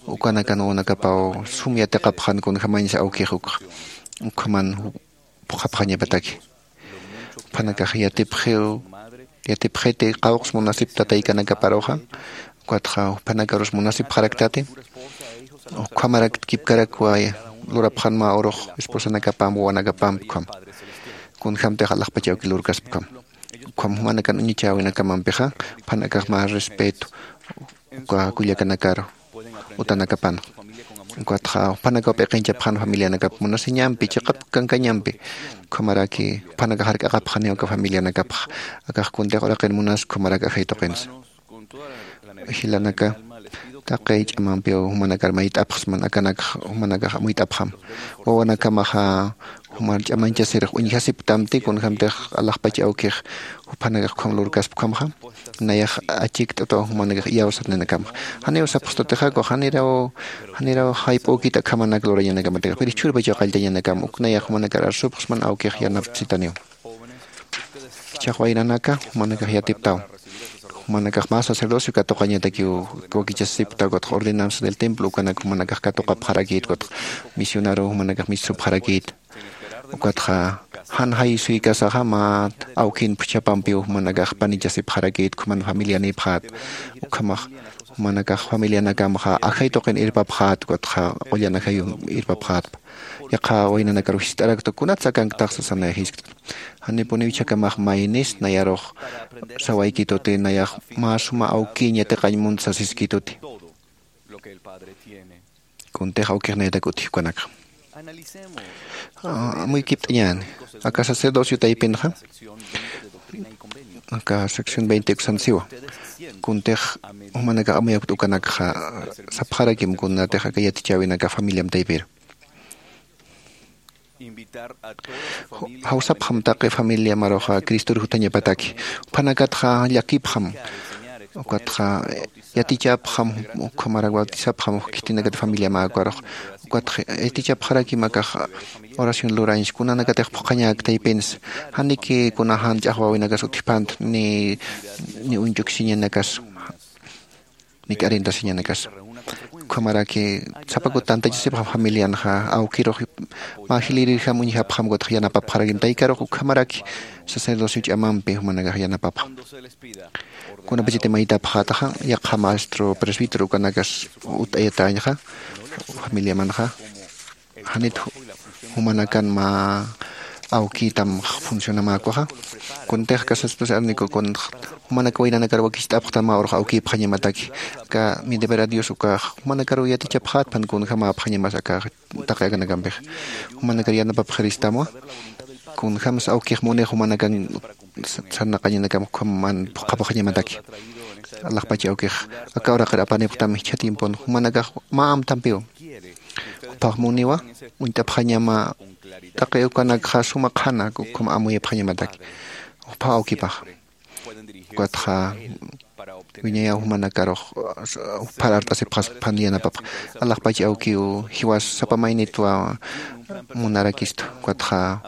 ukanakan wawanakapaw sum yatiqapxan kunjamañsa awkix ukxa ukhaman phuqhapxañapataki. Juphanakax yatipxiw yatipxiti qawqs munasip tataykanakaparuxa ukatxa juphanakarus munasipxaraktati. Ukhamarak kipkarakwa lurapxan mä urux esposanakapamp wawanakapamp ukham kunjämtix alaxpach awki lurkaspa ukham. Ukham jumanakan uñichäwinakamampixa juphanakax mä respeto uka kullakanakaru utanakapanxa. Ukatxa jupanakaw p'iqinchapxan familianakap munasiñampi, chiqap kankañampi. Ukhamaraki jupanakax jark'aqapxaniw aka familianakapxa. Akax kuntix uraqin munas, ukhamarak ajay tuqinsa. Jilanaka, taqi ch'amampiw jumanakar mayt'apxsman, akanakx jumanakax amuyt'apxam. Wawanakamaxa jumar ch'amañchasirix uñjasiptamti, kunjämtix alaxpach awkix jupanakax ukham lurkaspkhamxa. Nayax achikt'ataw jumanakax iyawsatninakamxa. Janiw sapxstutixa, ukax janiraw, janiraw jayp'ukit akhamanak lurañanakamatix. Pero jichhürpachaw qalltañanakam, uk nayax jumanakar arsupxsman, awkix yanapsitaniw. Jichhax waynanaka, jumanakax yatiptaw. Jumanakax mä sacerdocio katuqañatakiw wakichasipkta, ukatxa ordenanza del templo ukanak jumanakax katuqapxarakït, ukatxa misionero jumanakax mistupxarakït. Ukatxa jan jay suykasaxa mä awkin phuchhapampiw jumanakax panichasipxarakït, ukhaman familianïpxät. Ukhamax jumanakax familianakamxa ajay tuqin irpapxät, ukatxa qullan ajayum irpapxätpa. Yaqha waynanakar jiskt'arakta, kunatsa akanktax sasanay jiskta. Janipuniw jichhakamax maynis, nayarux sawaykituti, nayax mä suma awkiñ yatiqañ munt sasiskituti. Kuntix awkix nayatak utji ukanakxa. Ah, amuykipt'añäni. Aka sacerdocio taypinxa, aka sección veinte uksan siwa. Kuntix jumanakax amuyapkta ukanakxa, sapxarakim kunatix aka yatichäwinakax familiam taypir. Ju-, jawsapxam taqi familiamaruxa Cristor jutañapataki. Juphanakatxa llakipxam. Ukatxa yatichapxam, ukhamarak bautizapxam, uk khitinakat familiamäkarux. Ukatxa yatichapxarakim akax oración lurañs, kunanakatix phuqhañäk taypins. Janiki kuna jan ch'axwäwinakas utjpant, ni, ni uñch'uksiñanakas, ni k'arintasiñanakas. Ukhamaraki sapa kut tantachasipxam familianxa, awkirux mä jilïrirjam uñjapxam, ukatxa yanapapxarakim taykarux, ukhamaraki sacerdocio ch'amampi jumanakax yanapapxam. Kunapachati mayt'apxätaxa, yaqha maestro presbítero ukanakas utt'ayatäñxa, familiamanxa. Janit ju-, jumanakan mä awkïtam funcionamäkuxa. Kuntix casas arniku kun jumanak waynanakar wakicht'apxtam mä urux awkïpxañamataki. Aka mi deber a Dios ukax jumanakaruw yatichapxätpan kunjamäpxañamas aka taqi akanakampix. Jumanakar yanapapxiristamwa. Kunjams awkix munix jumanakan sa-, sarnaqañanakam ukhaman phuqhapxañamataki. Alaxpach awkix aka uraqir apanipxtam jichha tiempon jumanakax mä amtampiw. Jupax muniwa, uñt'apxañama taqi ukanakxa suma qhana, ukham amuyapxañamataki. Jupax awkipax. Ukatxa wiñayaw jumanakarux, juphar art'asipxaspan yanapapx. Alaxpach awkiw jiwas sapa maynitwa munarakistu. Ukatxa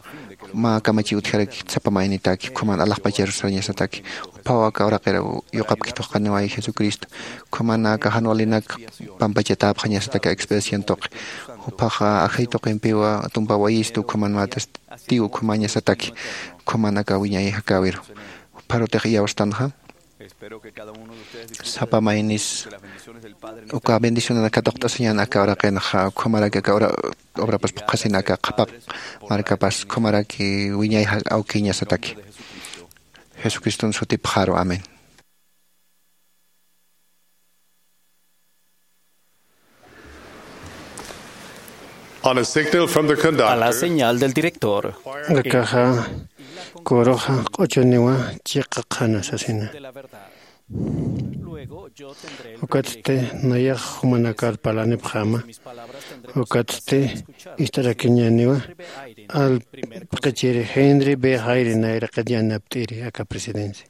mä kamachiw utjarakit sapa maynitaki, ukhaman alaxpachar sarañasataki. Juphaw aka uraqir yuqapkit juqaniway Jesucristo. Ukhaman aka jan walinak pampachatäpxañasataki expiación tuqi. Juphaxa ajay tuqimpiwa tumpa wayistu, ukhaman mä testigo ukhamañasataki. Ukhaman aka wiñay jakäwiru. Jupharutix iyawstanxa. Sapa maynis uka bendicionanak katuqt'asiñän aka uraqinxa, ukhamarak aka ura-, obrapas phuqhasin aka qhapaq markapas, ukhamarak wiñay ja-, awkiñasataki. Jesucriston sutipxaru. Amén. On a signal from the conductor. A la señal del director. Akaxa, kuruxa q'uchuniwa chiqa qhana sasina. Ukatsti nayax jumanakar parlanipxäma. Ukatsti ist'arakiñäniwa allp'ichiri Henry B. Eyring nayraqat yanapt'iri aka presidencia.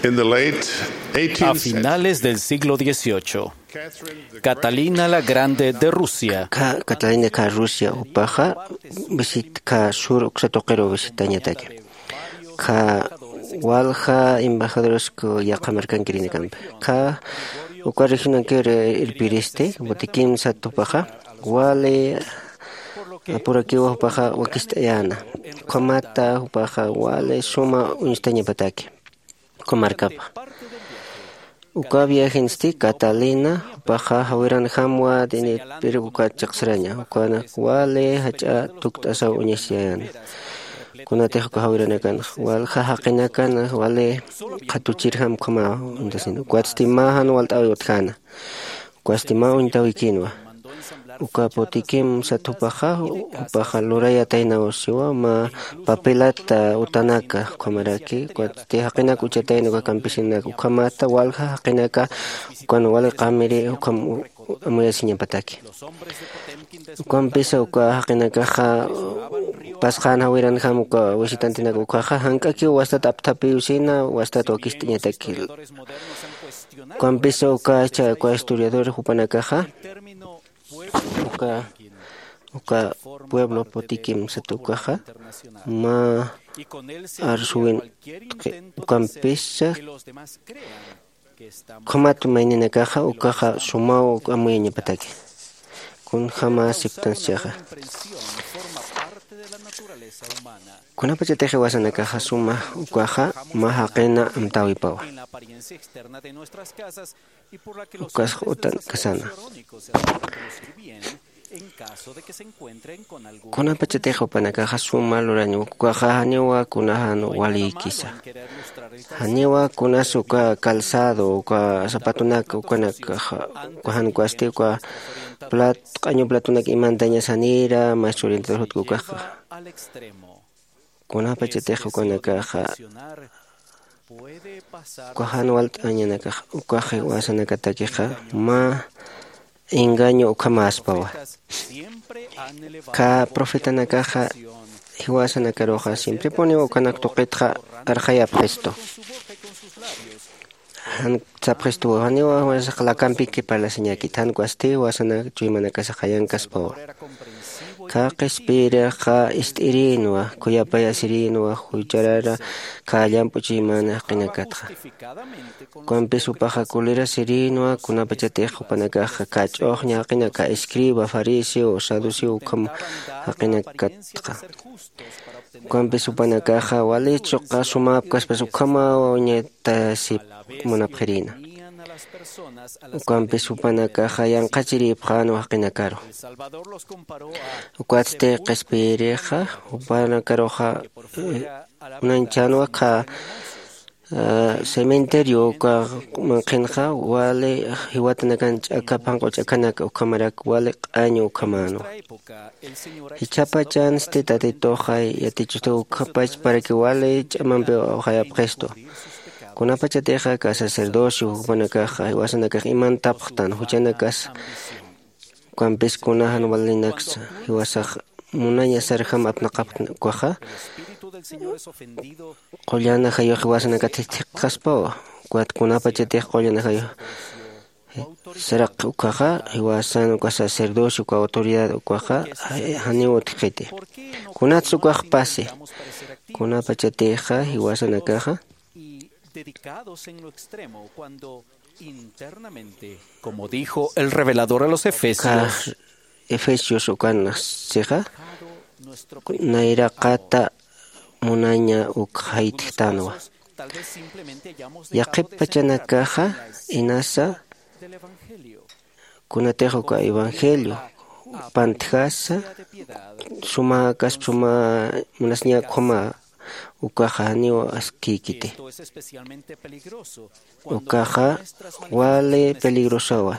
In the late A eighteenth century, finales del siglo dieciocho, Catherine the Catalina la Grande de Rusia, Ka-, Catalina ka Rusia jupaxa visit ka sur uksa tuqiru visitañataki. Ka walja embajadores ku yaqha markankirinakam. Ka uka regionankir irpiristi, buti kimsa tupaxa, wali apurakiwa jupaxa wakist'ayäna. Ukhamata jupaxa wali suma uñstañapataki. Uka markapa. Uka viajensti Catalina, jupaxa jawiranjamwa dinipir uka chiqsraña, ukanak wali jach'a tukt'asaw uñasiyäna. Kunatix uka jawiranakanx, walja jaqinakan, wali qhatuchirjam ukhama uñtasina. Ukatsti mä jan walt'äwi utjäna. Ukatsti mä uñtawikïnwa. Uka Potiquemsat jupaxa, jupaxa lurayataynaw siwa, mä papelata utanaka, ukhamaraki, ukatsti jaqinak uchatayna uka campesinak, ukhamata walja jaqinaka, ukan wali qamiri, ukham u-, amuyasiñapataki. Ukampisa uka jaqinakaxa, pasqan jawiranjam uka visitantenaka ukaxa, jank'akiw wastat apthapiwsina, wastat wakist'añataki. Ukampisa uka cha, uka historiador jupanakaxa, uka, uka pueblo Potiquemsat ukaxa, mä arsuwin, ukampisa, ukhamat mayninakaxa, ukaxa sumaw amuyañapataki. Kunjama siptansiaxa. Kunapachatix jiwasanakaxa suma ukaxa mä jaqina amtäwipawa. Ukas utan kasana. Kunapachatix jupanakaxa suma luraña, ukaxa janiwa kunajan walïkisa. Janiwa kunas uka calzado, uka zapatonak, ukanakaxa, uka jan ukasti, uka plat-, q'añu platonak imantañas janira, maestro orientador jutku ukaxa. Kunapachatix ukanakaxa, uka jan walt'añanakax, ukax jiwasanakatakixa, mä engaño ukhamäspawa. Ka profetanakaxa, jiwasanakaruxa, siemprepuniw ukanak tuqitxa arxayapxistu. Jan sapxistuwa, janiwa jiwasax lakampiki parlasiñakit, jan ukasti jiwasanak chuymanakasax jayankaspawa. Ka qhispiyirixa ist'irinwa, khuyapayasirinwa, jucharara ka llamp'u chuymana jaqinakatxa. Ukampis jupaxa colerasirinwa, kunapachatix jupanakaxa ka ch'uxña jaqina, ka escriba, fariseo, saduceo ukham jaqinakatxa. Ukampis jupanakaxa wali chuqa sumäpkaspas ukhamaw uñatasip munapxirïna. Ukampis jupanakaxa yanqhachirïpxänwa jaqinakaru. Ukatsti qhispiyirixa, jupanakaruxa, eh, munanchänwa ka, eh, cementerio uka manqhinxa, wali jiwatanakan ch'aka, phanq'u ch'akanak ukhamarak wali q'añu ukhamänwa. Jichhapachansti Tatituxa yatichistu ukhapachparaki wali ch'amampiw awxayapxistu. Kunapachatixa ka sacerdocio jupanakaxa, jiwasanakax imantapxtan, juchanakas, ukampis kunajan walinaksa, jiwasax munañasarjam apnaqapxtan ukaxa, qullan ajayux jiwasanakat jithiqaspawa, ukat kunapachatix qullan ajayux saraq ukaxa, jiwasan uka sacerdocio, uka autoridad ukaxa, janiw utjkiti. Kunats ukax pasi, kunapachatixa jiwasanakaxa, como dijo el revelador a los Efesios, Efesios ukan sixa, nayraqata munaña uk jaytjtanwa. Yaqhip pachanakaxa inasa, kunatix uka evangelio pantjasa, suma kaspa suma munasña ukhama, ukaxa janiw askïkiti. Ukaxa wali peligrosawa.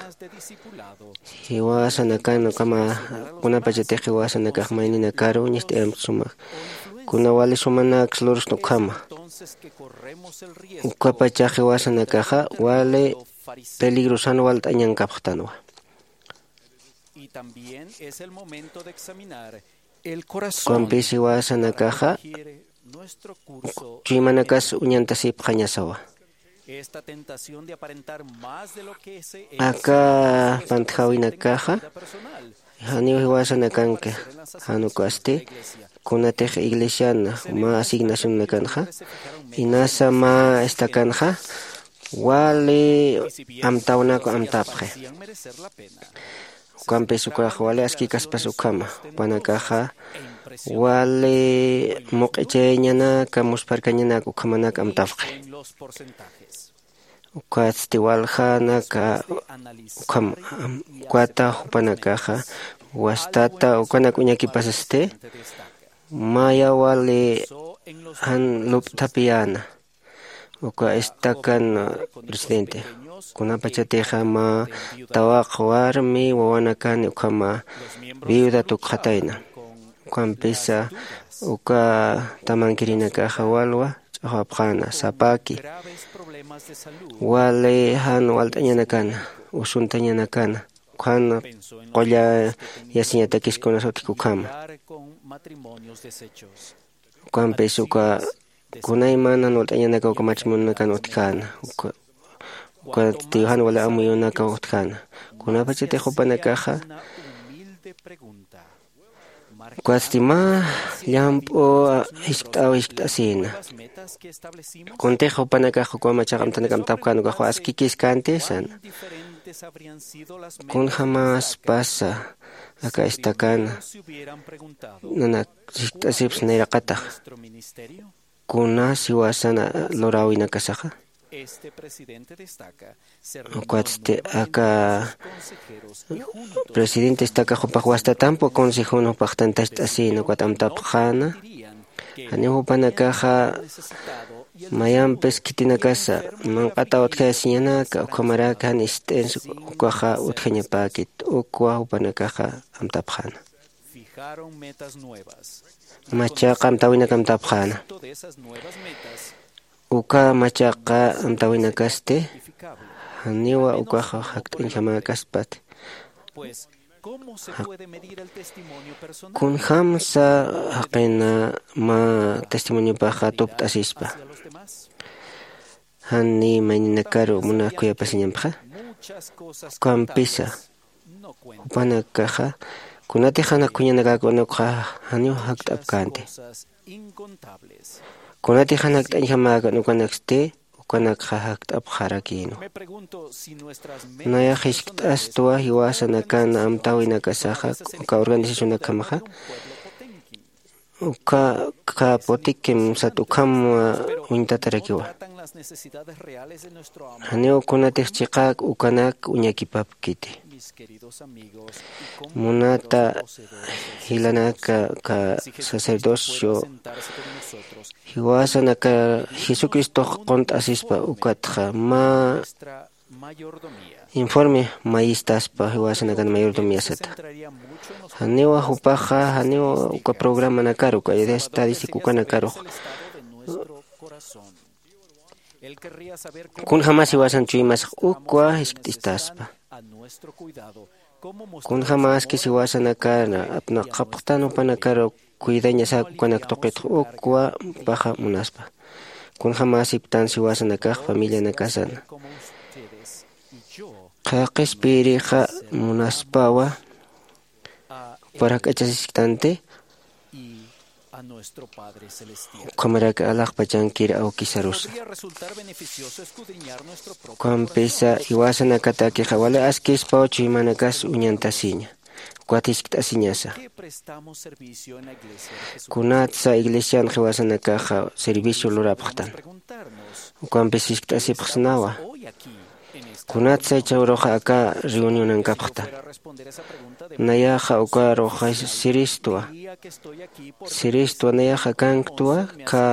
Jiwasanakan ukhama, kunapachatix jiwasanakax mayninakaru ñist'ayamp suma, kuna wali sumanaks lurstun ukhama. Ukapachax jiwasanakaxa wali peligrosan walt'añankapxtanwa. Ukampis jiwasanakaxa chuymanakas uñantasipxañasawa. Aka pantjawinakaxa janiw jiwasanakanki, jan ukasti kunatix iglesiana mä asignacionanakanxa, inasa mä estacanxa wali amtawnak amtapxi. Ukampis ukax wali askikaspas ukhama, jupanakaxa wali muq'ichayañanaka, muspharkañanaka ukhamanak amtapxi. Ukatsti waljanaka ukham, ukata jupanakaxa wastata ukanak uñakipasasti, maya wali jan lup'thapiyäna. Uka estacan presidente, kunapachatixa mä tawaq warmi wawanakani ukhama viuda tukxatayna. Ukampisa uka tamankirinakaxa walwa ch'axwapxäna, sapaki wali jan walt'añanakana, usuntañanakana, ukhan qullayasiñatakis kunas utjki ukhama. Ukampis uka kunayman jan walt'añanaka uka matrimonionakan utjkäna, uka, ukatsti jan wali amuyunaka utjkäna. Kunapachatix jupanakaxa ukatsti mä llamp'u jiskt'aw jiskt'asïna. Kuntix jupanakax uka machaqa amtanak amtapkän ukax askikïskänti sana. Kunjämaspasa aka estacan nanak jiskt'asips nayraqatax, kunas jiwasan luräwinakasaxa. Ukatsti aka presidente estaca jupax wastatamp uka consejona jupax tantacht'asïna ukat amtapxäna. Janiw jupanakaxa mayampis khitinakasa manq'ataw utjayasiñanaka, ukhamaraki jan ist'ins ukaxa utjañapäkit, ukwa jupanakaxa amtapxäna. Machaqa amtäwinak amtapxäna. Uka machaqa amtäwinakasti janiwa ukaxa jakt'añjamäkaspati. Kunjämsa jaqina mä testimoniopaxa tupt'asispa, jan ni mayninakaru munax khuyapasiñampxa? Ukampisa jupanakaxa kunatix jan akhuñanakäkänukxa janiw jakt'apkänti. Kunatix jan jakt'añjamäkän ukanaksti, ukanakxa jakt'apxarakïnwa. Nayax jiskt'astwa jiwasanakan amtäwinakasaxa uka organizacionakjamaxa. Uka, uka Potemkin sat ukham uñtatarakiwa. Janiw kunatix chiqäk ukanak uñakipapkiti. Munata jilanaka, aka sacerdocio jiwasanaka Jesucristox qunt'asispa ukatxa mä informe mayistaspa jiwasanakan mayordomiasata. Janiwa jupaxa, janiwa uka programanakaru, uka estadística ukanakarux. Kunjämas jiwasan chuymasax ukwa jiskt'istaspa. Kunjämaskis jiwasanakar apnaqapxtan jupanakaru cuidañasak ukanak tuqitx ukwa paxa munaspa. Kunjämasiptan jiwasanakax familianakasana. Qha qhispiyirixa munaspawa juparak k'achasisktanti, ukhamarak alaxpachankir awkisarusa. Ukhampisa jiwasanakatakixa wali askispaw chuymanakas uñantasiña. Ukat jiskt'asiñasa. Kunatsa iglesian jiwasanakaxa servicio lurapxtan. Ukampis jiskt'asipxsnawa. Kunatsa jichharuxa aka reunionankapxtan. Nayaxa ukaruxa siristwa. Siristwa nayaxa kanktwa, ka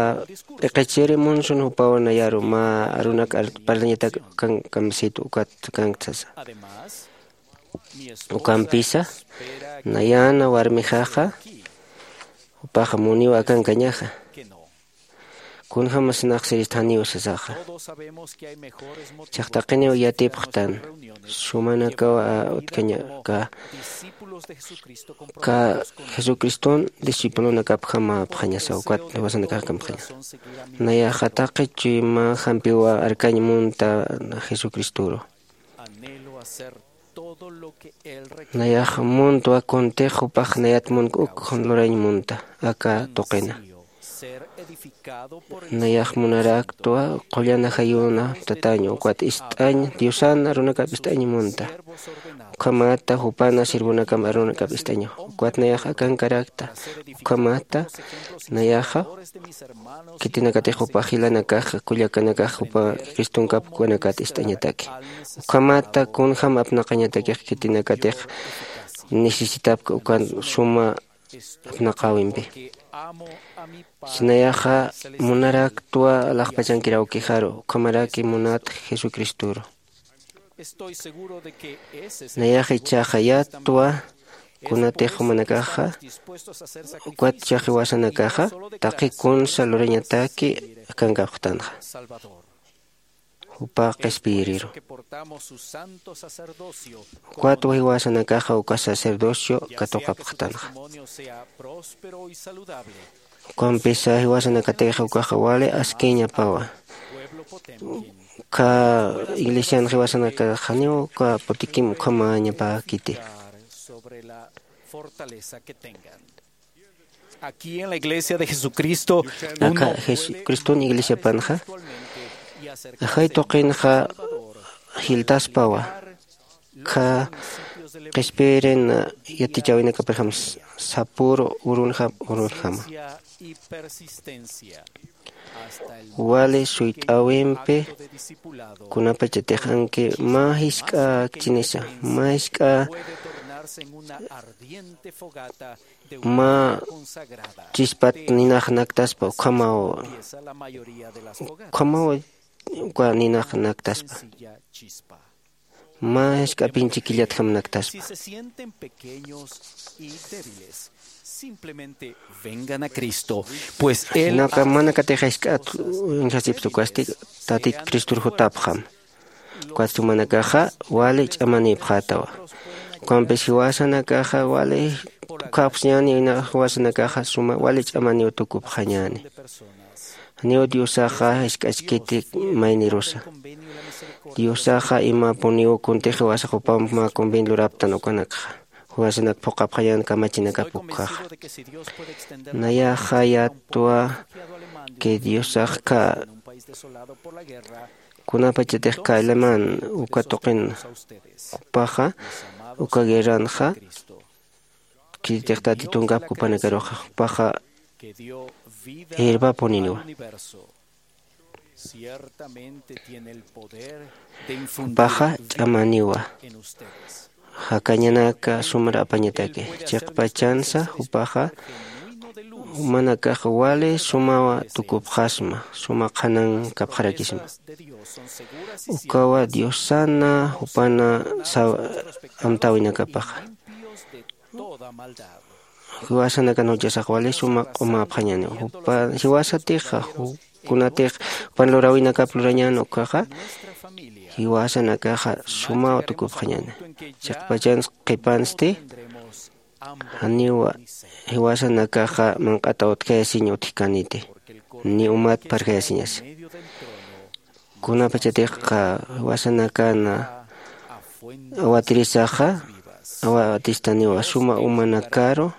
p'iqichiri munsun jupaw nayaru mä arunak parlañatak kan kamsit ukat kankt sasa. Ukampisa, nayana warmixaxa, jupaxa muniw akankañaxa. Kunjämas nax sirist janiw sasaxa. Chaqtaqiniw yatipxtan sumanakaw utjañaka. Ka jesucriston discipulonakapjamapxañasa ukat jiwasanakax kampxaña. Nayaxa taqi chuyma jampiwa arkañ munta jesucristuru. Nayax muntwa kuntix jupax nayat munk uk lurañ munta aka tuqina. Nayax munaraktwa qullan ajayuna tatañ ukat ist'añ diosan arunakap ist'añ munta. Ukhamata jupana sirvunakam arunakap ist'añu ukat nayax akankarakta. Ukhamata nayaxa khitinakatix jupa jilanakax kullakanakax jupa cristonkap ukanakat ist'añataki. Ukhamata kunjam apnaqañatakix khitinakatix necesitapka ukan suma apnaqäwimpi. Sinayaxa munaraktwa alaxpachankir awkijaru ukhamaraki munat jesucristuru. Nayax ichhaxa yatwa kunatix jumanakaxa ukat chhax jiwasanakaxa taqi kunsa lurañataki akankapxtanxa. Jupa qhispiyiriru ukat jiwasanakaxa uka sacerdocio katuqapxtanxa. Ukampisa jiwasanakatix ukaxa wali askiñapawa. Uka iglesian jiwasanakaxaniw uka putikim ukhamañapäkiti. Aquí en la iglesia de Jesucristo, aka jesucriston iglesiapanxa ajay tuqinxa jiltaspawa. Kha qhispiyirin yatichäwinakapirjam sapüru urunjam urunjama. Wali suyt'äwimpi kunapachatix anki mä jisk'a akchinisa mä jisk'a mä chispat ninax naktaspa ukhamaw ukhamaw uka ninax naktaspa. Mä jisk'apinchi killatjam naktaspa. Vengan a Cristo, pues él naka manakatix jisk'at uñjasipsa ukasti tatit cristur jutapxam. Ukat jumanakaxa wali ch'amanïpxätawa. Ukampis jiwasanakaxa wali ukhapxsañäni jiwasanakaxa suma wali ch'amaniw tukupxañäni. Janiw diosaxa jisk'achkiti maynirusa. Diosaxa imapuniw kuntix jiwasax jupamp mä convenio luraptan ukanakxa jiwasanak phuqhapxañän kamachinakap ukhaxa. Nayaxa yatwa que diosax khä kunapachatix khä alemán uka tuqin jupaxa uka guerranxa khitix tatitunkap jupanakaruxa jupaxa irpapuniniwa. Jupaxa ch'amaniwa jakañanaka sumar apañataki. Chiqpachansa jupaxa jumanakax wali sumawa tukupxasma suma qhanankapxarakisma. Ukawa diosana jupana amtäwinakapaxa jiwasanakan juchasax wali suma q'umäpxañäniw. Jiwasatixa kunatix jupan luräwinakap lurañän ukhaxa jiwasanakaxa sumaw tukupxañäni. Chiqpachans qhipansti janiw jiwasanakaxa manq'ataw utjayasiñ utjkäniti ni umat pharjayasiñasa. Kunapachatix jiwasanakan awatirisaxa awatistaniwa suma umanakaru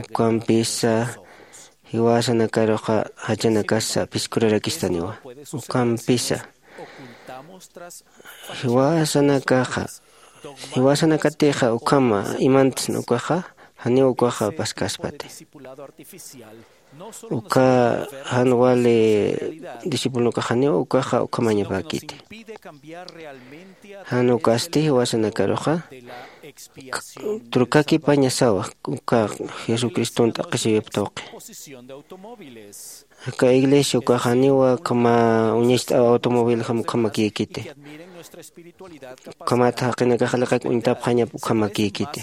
ukampisa jiwasanakaruxa jachanakasa piskhurarakistaniwa. Ukampisa jiwasanakaxa jiwasanakatixa ukhama imantsna ukaxa janiw ukaxa paskaspati. Uka jan wali discipulonakaxaniw ukaxa ukhamañapäkiti. Jan ukasti jiwasanakaruxa trukakipañasawa uka jesucriston t'aqhisiyup tuqi. Aka iglesia ukaxaniwa ukhama uñacht'aw automoviljam ukhamakïkiti. Ukhamat jaqinakax aliqak uñtapxañap ukhamakïkiti.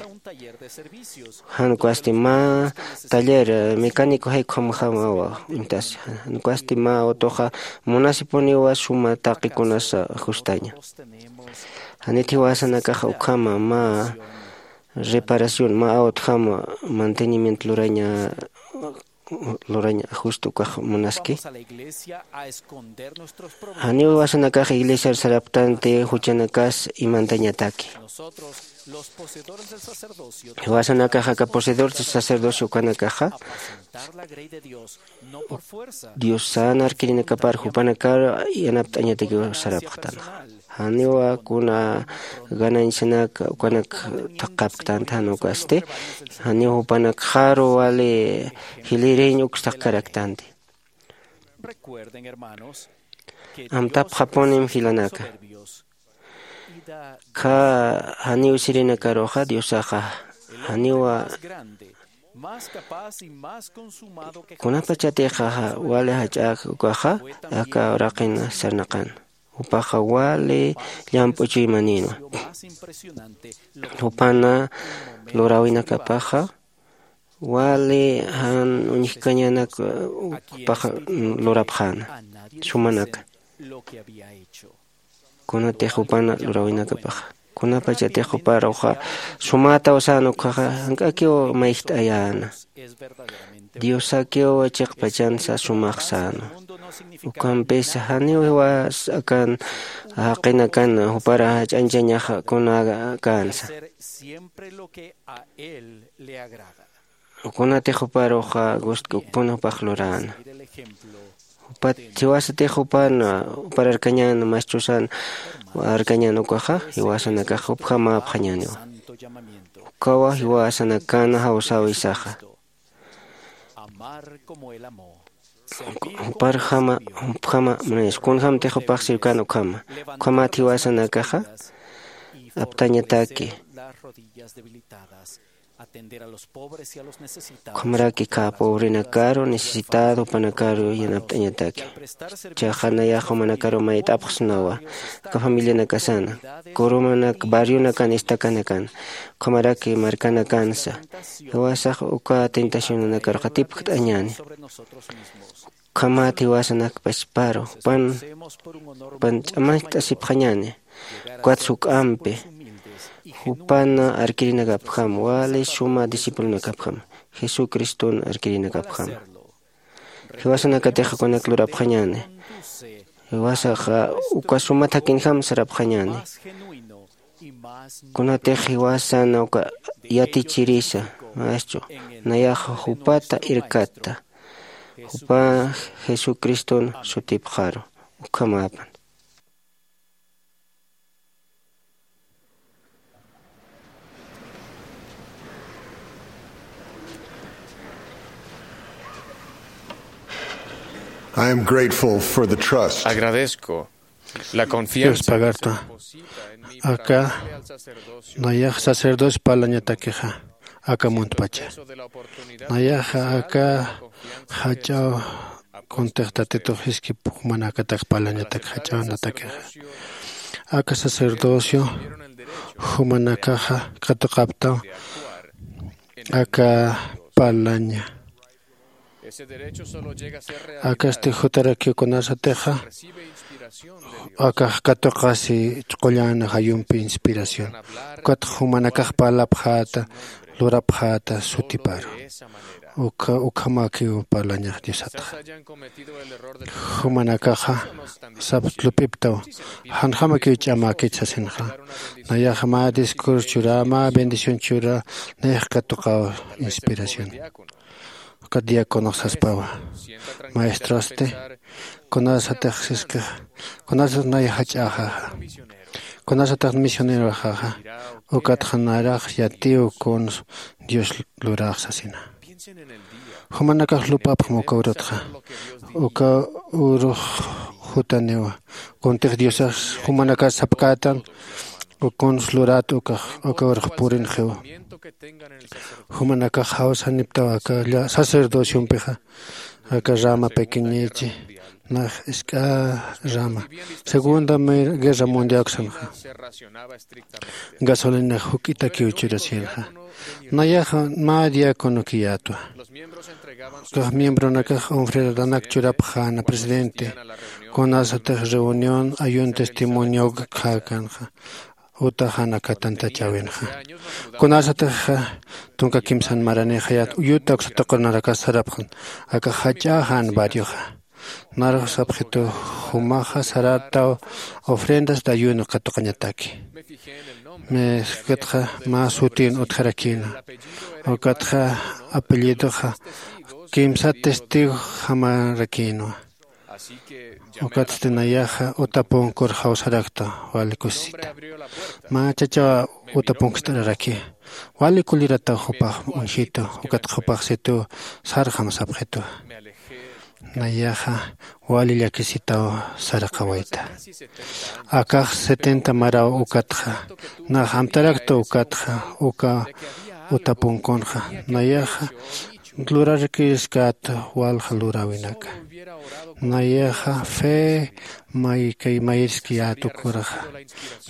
Jan ukasti mä taller mecánico jay ukhamjamawa uñtasi. Jan ukasti mä autoxa munasipuniwa suma taqikunas ajustaña. Janit jiwasanakaxa ukhama mä reparación mä autojama mantenimiento luraña luraña ajusta ukax munaski. Janiw jiwasanakax iglesiar saraptanti juchanakas imantañataki. Jiwasanakax aka poseedor sacerdocio ukanakaxa diosan arkirinakapar jupanakar yanapt'añatakiw sarapxtanxa. Janiwa kuna ganañsanak ukanak thaqhapktanta jan ukasti. Janiw jupanak jaru wali jilïriñ ukstaqkaraktanti. Amtapxapunim jilanaka. Kha janiw sirinakaruxa diosaxa janiwa kunapachatixa wali jach'ak ukaxa aka uraqin sarnaqan. Jupaxa wali llamp'u chuymanïnwa. Jupana luräwinakapaxa wali jan uñjkañanak jupaxa lurapxäna. Sumanaka kunatix jupana luräwinakapaxa kunapachatix juparuxa sumätaw sän ukhaxa jank'akiw mayjt'ayäna. Diosakiw chiqpachansa sumax sänwa. Ukhampisa janiw jiwas akan jaqinakan jupar jach'añchañaxa kunakänsa. Kunatix juparuxa gustk'ukpun jupax luräna. Jupat jiwasatix jupan jupar arkañän mastrusan arkañän ukaxa jiwasanakax jupjamäpxañäniwa. Ukawa jiwasanakan jawsäwisaxa. Juparjama jupjama munañas kunjämtix jupax sirkan ukhama. Ukhamat jiwasanakaxa aptañataki. Ukhamaraki kha pobrenakaru necesitado jupanakaru yanapt'añataki. Chaxa nayax jumanakaru mayt'apxsnawa aka familianakasana, kurumanak barrionakan estakanakan, ukhamaraki markanakansa. Jiwasax uka tentacionanakaru qatipkt'añäni. Ukhamat jiwasanakpachparu jupan jupan ch'amacht'asipxañäni. Ukatsa juk'ampi jupan arkirinakapjam wali suma discipulonakapjam jesucriston arkirinakapjam. Jiwasanakatix ukanak lurapxañäni. Jiwasaxa uka suma thakinjam sarapxañäni. Kunatix jiwasan uka yatichirisa maestro nayaxa jupata irkatta. Jupa jesucriston sutipxaru. Ukhamäpan. I am grateful for the trust. Agradezco la confianza. Yuspagarta aka nayax sacerdocio parlañatakixa aka muntpacha. Nayaxa aka jach'aw kuntix tatitux jiskip jumanakatak parlañatak jach'awnatakixa. Aka sacerdocio jumanakaxa katuqaptaw aka parlaña. Akasti jutarakiw kunasatixa akax katuqasi qullan jayumpi inspiración. Ukatxa jumanakax parlapxäta lurapxäta sutiparu. Ukha ukhamakiw parlañax diosatxa. Jumanakaxa sap lup'iptaw janjamakiw ch'amäkit sasinxa. Nayax mä discurso churä mä bendición churä nayax katuqaw inspiración. Ukat diáconox saspawa, maestrosti kunasatix siskix kunasatix nayax jach'äxaxa kunasatix misioneroxaxa. Ukatxa narax yatiw kuns dios luräx sasina. Jumanakax lup'apxam uka urutxa uka urux jutaniwa. Kuntix diosax jumanakas sapkätan uka kuns lurat ukax uka urux purinxiwa. Jumanakax jawsaniptaw aka lla- sacerdociompixa, aka rama pequeñechi, nax isk'a rama. Segunda Mer- Guerra Mundial uksanxa, gasolinax juk'itakiw churasïnxa. Nayaxa mä diácono kiyätwa. Ukax miembronakax ofrendanak churapxäna presidente, kunasatix reunión ayuno testimonio ukkhäkanxa, utaxanakatantachäwinxa. Kunasatixa tunka kimsan maranixayät uyuta uksa tuqunarakas sarapxan, akax jach'äxan barrioxa. Narux sapxitu, jumaxa sarataw ofrendas de ayuno katuqañataki. Miskatxa mä sutin utjarakïna, ukatxa apellidoxa kimsa testigo jamarakïnwa. Ukatsti nayaxa utapunkur jawsarakta, wali kusisita. Mä chachaw utapunkt'araraki, wali kulirataw jupax uñjitu, ukatxa jupax situ sarxam sapxitu. Nayaxa wali llakisitaw saraqawayta. Akax setenta maraw ukatxa, nax amtarakta ukatxa, uka utapunkunxa. Nayaxa lurarkiskät walja luräwinaka. Nayaxa fe maykay mayirskiyät ukuraxa.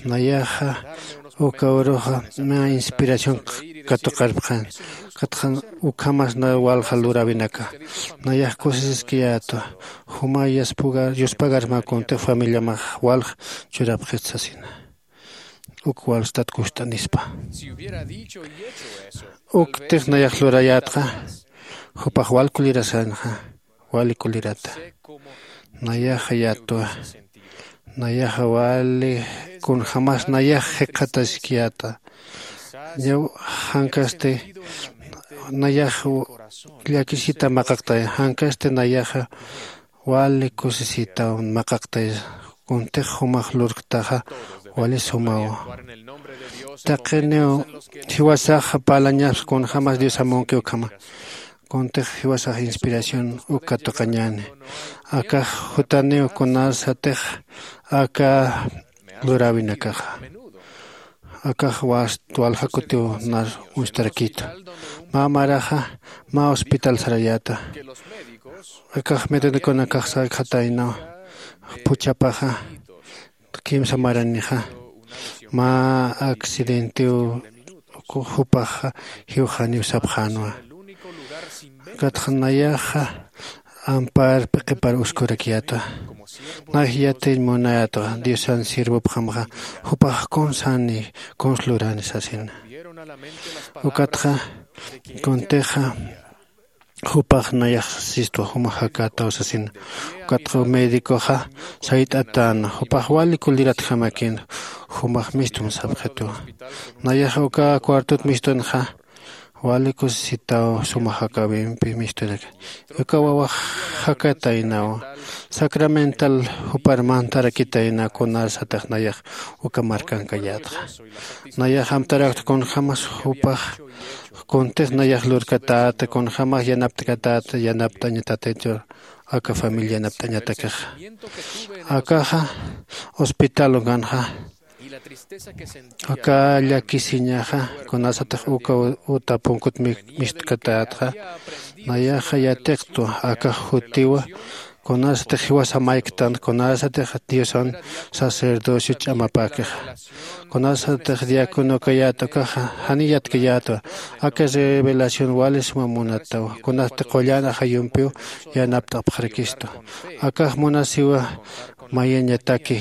Nayaxa uka uruxa mä inspiración katuqarpxan. Katxan ukhamas na walja luräwinaka. Nayax kusisiskiyätwa. Juma yuspagar mä kuntix familiamax walja churapxit sasina. Uk walstat kust'anispa. Uktix nayax lurayätxa, jupax wal kulirasanxa, wali kulirata. Nayaxa yatwa. Nayaxa wali kunjämas nayax jikxataskiyäta. Ñaw jankasti nayax llakisita maqaqtay, jankasti nayaxa wali kusisitaw maqaqtay, kuntix jumax lurktaxa wali sumawa. Taqiniw jiwasax parlañaspa kunjämas Dios amunki ukhama. Kuntix jiwasax inspiración uk katuqañäni. Akax jutaniw kunasatix aka luräwinakaxa. Akax wast walja kutiw nar uñstarakitu. Mä maraxa mä hospital sarayäta. Akax medicokunakax sarkxataynaw, phuchhapaxa kimsa maranixa mä accidentew jupaxa jiwxaniw sapxänwa. Katxa nayaxa amparpi qhipar uskurakiyätwa. Nax yatiñ munayätwa, Diosan sirvupxamxa jupax kunsani kuns lurani sasina. Ukatxa kuntixa jupax nayax sistwa juma jakätaw sasina. Ukatxa medicoxa sayt'atäna, jupax wali kuliratjamakïna, jumax mistum sapxitwa. Nayax uka cuartot mistunxa wali kusisitaw suma jakäwimpi mistunaka. Uka wawax jakätaynawa. Sacramental jupar mantarakitayna kunasatix nayax uka markankayätxa. Nayax amtarakta kunjämas jupax kuntix nayax lurkatäta, kunjämas yanaptkatäta, yanapt'añatäta aka familia yanapt'añatakixa. Akaxa hospital ukanxa, aka llakisiñaxa, kunasatix uka utapunkut mi- mistkatätxa, nayaxa yatiqtwa akax jutiwa, kunasatix jiwasa mayktan, kunasatix Diosan sacerdocio ch'amapäkixa, kunasatix diácono kayät ukaxa janiy yatkayätwa. Aka revelación wali suma munatawa, kunasti qullan ajayumpiw yanapt'apxarakistu. Akax munasiwa mayañataki,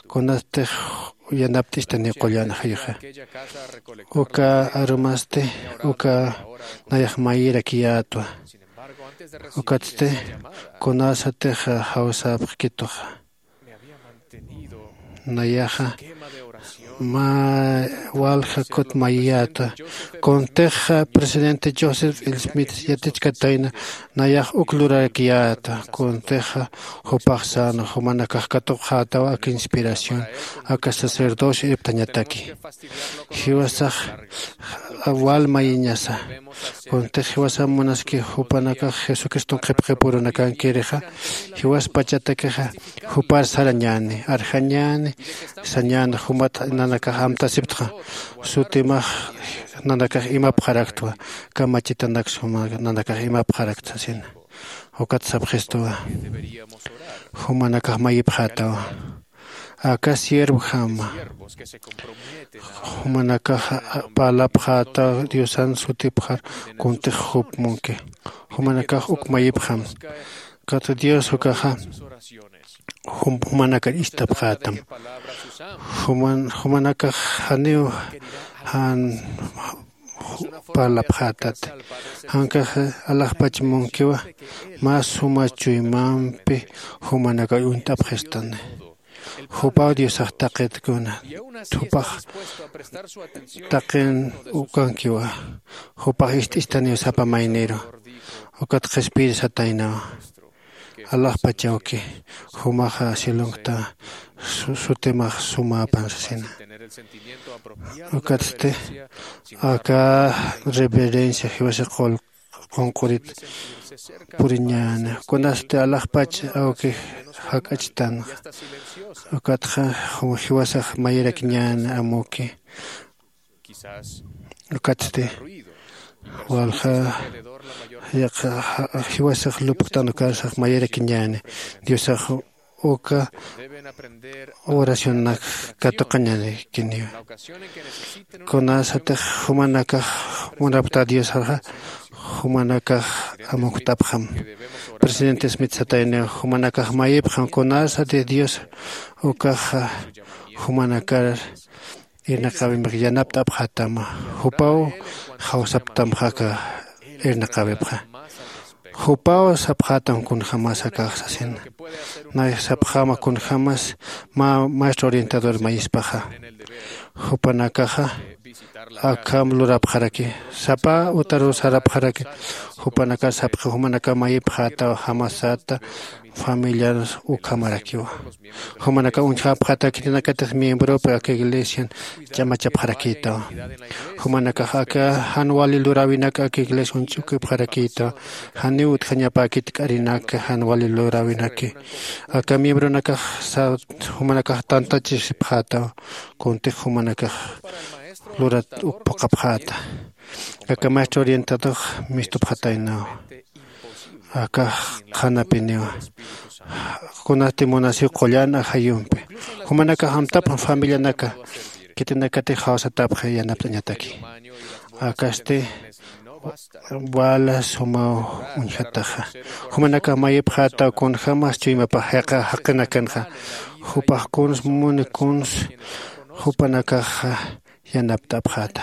kunastix yanapt'istani qullan ajayuxa. Uka arumasti uka nayax mayirakiyätwa. Ukatsti kunasatix jawsapxkituxa. Nayaxa mä walja kut mayiyäta. Kuntixa presidente Joseph Smith yatichkatayna nayax uk lurarakiyäta. Kuntixa jupax sano jumanakax katuqxätaw ak inspiración aka sacerdocio ipt'añataki. Jiwasax wal mayiñasa. Kuntix jiwasam munaski jupanakax jesucriston qhipqipurunakankirixa jiwaspachatakixa jupar sarañäni arjañäni sañäni jumat nanakax amtasiptxa sutimax nanakax imapxaraktwa kamachitanak suma nanakax imapxarakt sasina. Ukat sapxistuwa jumanakax mayipxätawa aka siervojama jumanakax parlapxätaw diosan sutipxar kuntix jup munki jumanakax uk mayipxam kata dios ukaxa jumanakar ist'apxätam jumanakax janiw jan parlapxätat jankax alaxpach munkiwa mä suma chuymampi jumanakar uñt'apxistani. Jupaw diosax taqit kuna jupax taqin ukankiwa jupax ist'istaniw sapa mayniru ukat qhispiyir sataynawa alaxpachawki jumaxa cielonkta sutimax sumäpan sasina. Ukatsti aka reverencia jiwasa qol qunq'urit puriñäna kunasti alaxpach awki jak'achtanxa ukatxa jiwasax mayirakiñäna amuki ukatsti walja jiwasax lupkt'an ukarsax mayirakiñäna diosax uka oracionanak katuqañanikiniwa kunasatix jumanakax munapkta diosarxa jumanakax amukt'apxam. Presidente smith satayniw jumanakax mayipxam kunasatix dios ukaxa jumanakar irnaqäwimpi yanapt'apxätama jupaw jawsaptamxa aka irnaqäwipxa jupaw sapxätam kunjämas akax sasina. Nay sapxäma kunjämas mä maestro orientador mayispaxa jupanakaxa akham lurapxaraki sapa utaruw sarapxaraki jupanakar sapxi jumanakar mayipxätaw jamasata familiar ukhamarakiwa jumanakax uñjapxätaw khitinakatix miembropi aka iglesian ch'amachapxarakïtaw jumanakax aka jan wali luräwinak aka iglesia uñch'ukipxarakïtaw janiw utjañapäkit k'arinak jan wali luräwinaki aka miembronakax jumanakax tantachisipxätaw kuntix jumanakax lurat uk phuqhapxäta aka maestro orientadox mistupxataynaw akax qhanapiniwa kunasti munasiw qullan ajayumpi jumanakax amtapxam familianaka khitinakatix jawsatapxi yanapt'añataki akasti wala sumaw uñjataxa jumanakax mayipxätaw kunjämas chuymapax jaqinakanxa jupax kuns muni kuns jupanakaxa yanapt'apxäta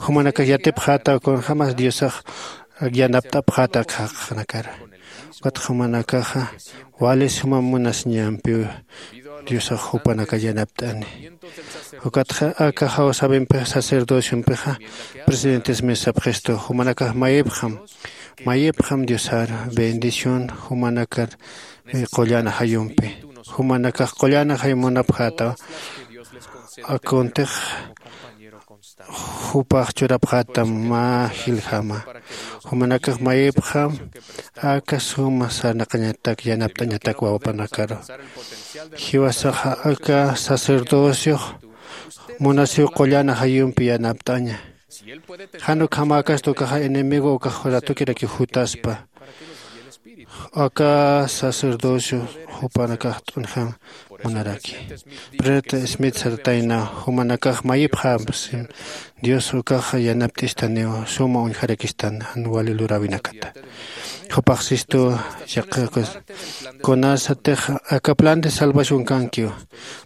jumanakax yatipxätaw kunjämas diosax yanapt'apxäta jaqinakar ukat jumanakaxa wali suma munasiñampiw diosax jupanakar yanapt'ani ukatxa aka jawsäwimpix sacerdociompixa presidentes mesa sapxistu jumanakax mayipxam mayipxam diosar bendición jumanakar qullan ajayumpi jumanakax qullan ajayum munapxätaw akuntix jupax churapxätam mä jiljama jumanakax mayipxam aka suma sarnaqañatak yanapt'añatak wawapanakaru jiwasaxa aka sacerdociox munasiw qullan ajayumpi yanapt'aña jan ukhamäkasti ukaxa enemigo ukax ratukirakiw jutaspa aka sacerdocio jupanakax t'unjam munaraki profeta smith sartayna jumanakax mayipxam dios ukax yanapt'istaniw suma uñjarakistan jan wali luräwinakata jupax sistu yaqhiqus kunasatix aka plan de salvación kankiw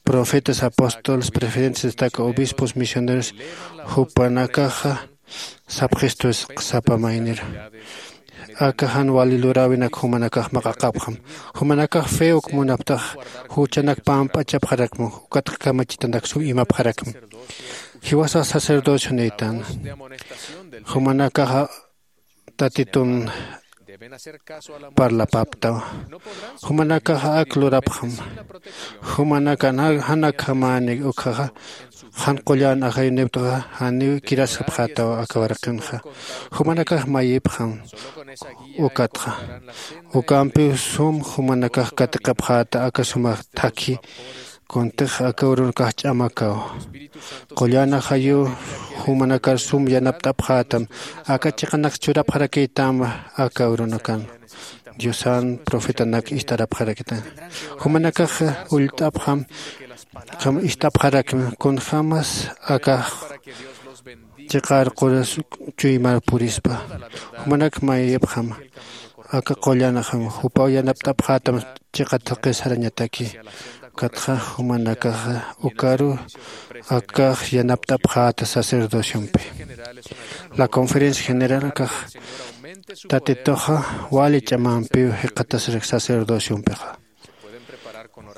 profetas apóstoles preferentes destaca obispos misioneros jupanakaxa sapxistus sapa maynir aka jan wali luräwinak jumanakax maq'aqapxam jumanakax fe uk munaptax juchanak pamp'achapxarakma ukatxa kamachitanak sum imapxarakma jiwasax sacerdocio niytan jumanakaxa tatitun parlapaptaw. Jumanakax ak lurapxam. Jumanakan jan akhamäni ukhaxa jan qullan ajayuniptxa janiw kirasapxätaw aka waraqinxa. Jumanakax mayipxam. Ukatxa ukampiw sum jumanakax katiqapxäta aka suma thakhi. Kuntix aka urunakax ch'amakaw. Qullan ajayu jumanakar sum yanapt'apxätam. Aka chiqanak churapxarakïtam aka urunakan diosan profetanak ist'arapxarakïtam. Jumanakax ullt'apxam. Ist'apxarakmi kunjämas aka chiqar quras chuymar purispa. Jumanak mayipxam. Aka qullan ajam jupaw yanapt'apxätam. Chiqa thaqi sarañataki ukatxa jumanakaxa ukaru akax yanapt'apxäta sacerdociompi. La conferencia general akax tatituxa wali ch'amampiw jiqatasrak sacerdociompixa.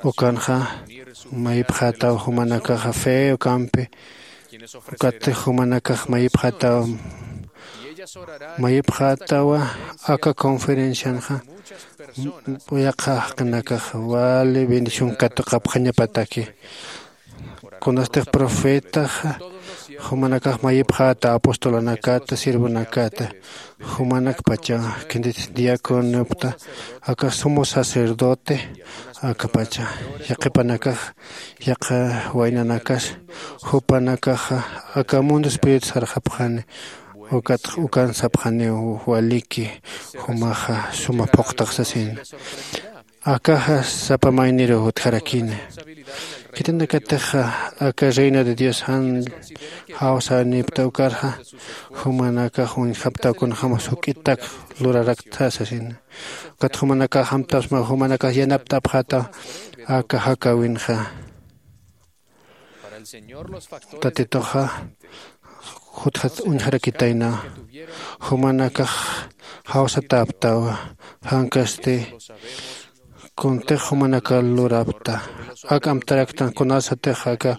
Ukanxa mayipxätaw jumanakaxa fe ukampi ukatix jumanakax mayipxätaw. Mayipxätawa aka conferencianxa yaqha jaqinakax wali bendición katuqapxañapataki. Kunastix profetaxa jumanakax mayipxäta apostolanakata sirvonakata jumanakpacha kintit diaconopta aka sumo sacerdote akapacha yaqhipanakax yaqha waynanakas jupanakaxa aka mundo espíritu sarxapxani. Ukatx ukan sapxaniw waliki jumaxa suma phuqtax sasina. Akaxa sapa mayniruw utjarakini. Khitinakatixa aka reino de dios jan jawsanipta ukarxa jumanakax uñjaptaw kunjämas juk'itak luraraktxa sasina. Ukat jumanakax amtapsma jumanakax yanapt'apxäta aka jakäwinxa. Tatituxa jutjat uñjarakitayna. Jumanakax jawsatäptawa jankasti kuntix jumanakar lurapta. Ak amtaraktan kunasatix aka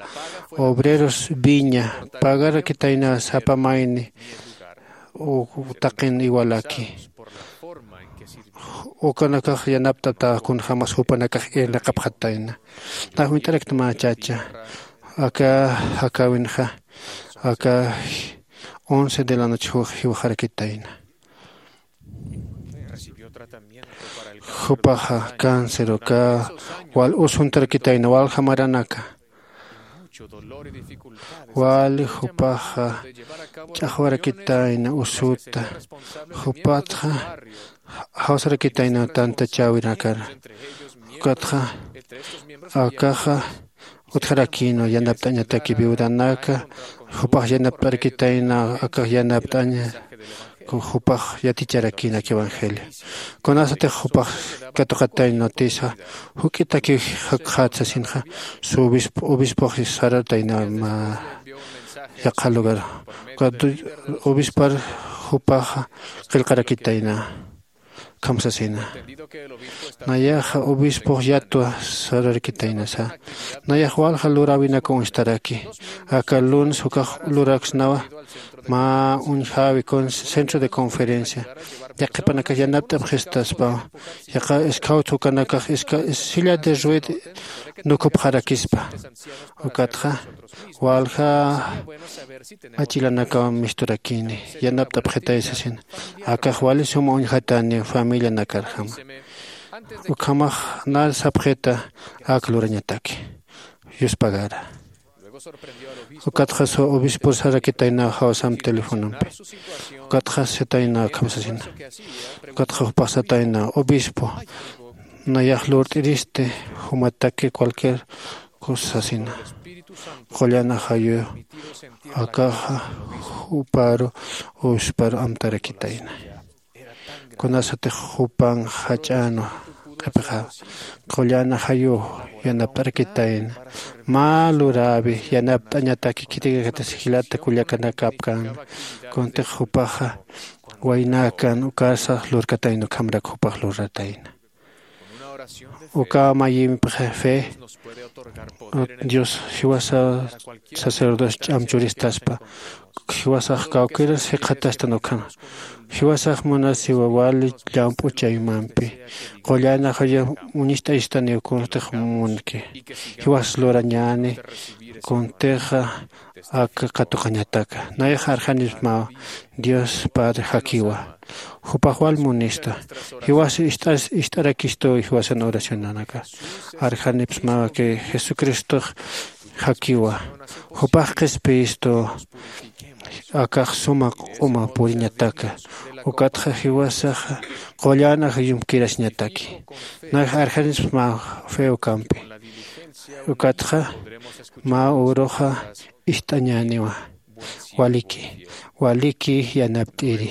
obreros viña pagarakitayna sapa mayni taqin iwalaki. Ukanakax yanapt'ata kunjämas jupanakax irnaqapxatayna. Nax uñt'araktma chacha aka jakäwinxa aka once de la noche jiwxarakitayna. Jupaxa cáncer uka wal usuntarakitayna walja maranaka. Wali jupaxa ch'axwarakitayna usuta. Jupatxa jawsarakitayna tantachäwinakar. Ukatxa akaxa utjarakïnwa yanapt'añataki viudanaka jupax yanapt'arakitayna akax yanapt'aña. Jupax yaticharakïna aka evangelio kunasatix jupax katuqatayna notisa juk'itakiw jakxät sasinxa. Su obispox sarartayna mä yaqha lugar ukat obispar jupaxa qillqarakitayna. Kham sasina nayaxa obispox yatwa sararkitaynasa. Nayax walja luräwinaka uñstaraki aka lunes ukax luraksnawa. Mä uñjäwi centro de conferencia yaqhipanakax yanapt'apxistaspawa. Yaqha scouts ukanakax silla de rued nukupxarakispa. Ukatxa walja achilanakaw misturakini yanapt'apxitay sasina. Akax wali suma uñjatani familianakarjama. Ukhamax nar sapxita ak lurañataki yuspagara. Ukatxa su obispor sarakitaynaw jawsam telefonompi. Ukatxa sitaynaw akham sasina. Ukatxa jupax sataynaw obispo nayax lurt'iristi jumataki cualquier cosa sasina. Qullan ajayu akaxa juparu obisparu amtarakitayna. Kunasatix jupan jach'änwa q'ipixawa qullan ajayu yanapt'arakitayna. Mä luräwi yanapt'añataki khitinakatix jilata kullakanakapkän. Kuntix jupaxa waynakan ukasa lurkatayna ukhamrak jupax luratayna. Uka mayimpixa fe dios jiwasa sacerdocio ch'am churistaspa. Jiwasax kawkiras jikxatastan ukhama. Jiwasax munasiwa wali llamp'u chaymampi. Qullanaxaya uñist'ayistaniw kunstix munki. Jiwas lurañäni kuntixa aka katuqañataka. Nayax arxanismaw Dios Padre jakiwa. Jupax wal munista. Jiwas ist'as ist'arakistu jiwasan oracionanaka. Arxanipsmawa que Jesucristox jakiwa. Jupax qhispiyistu akax suma q'uma puriñataka. Ukatxa jiwasaxa qullanax yumkirasiñataki. Nayax arxanismaw fe ukampi. Ukatxa mä uruxa ist'añäniwa. Waliki, waliki yanapt'iri.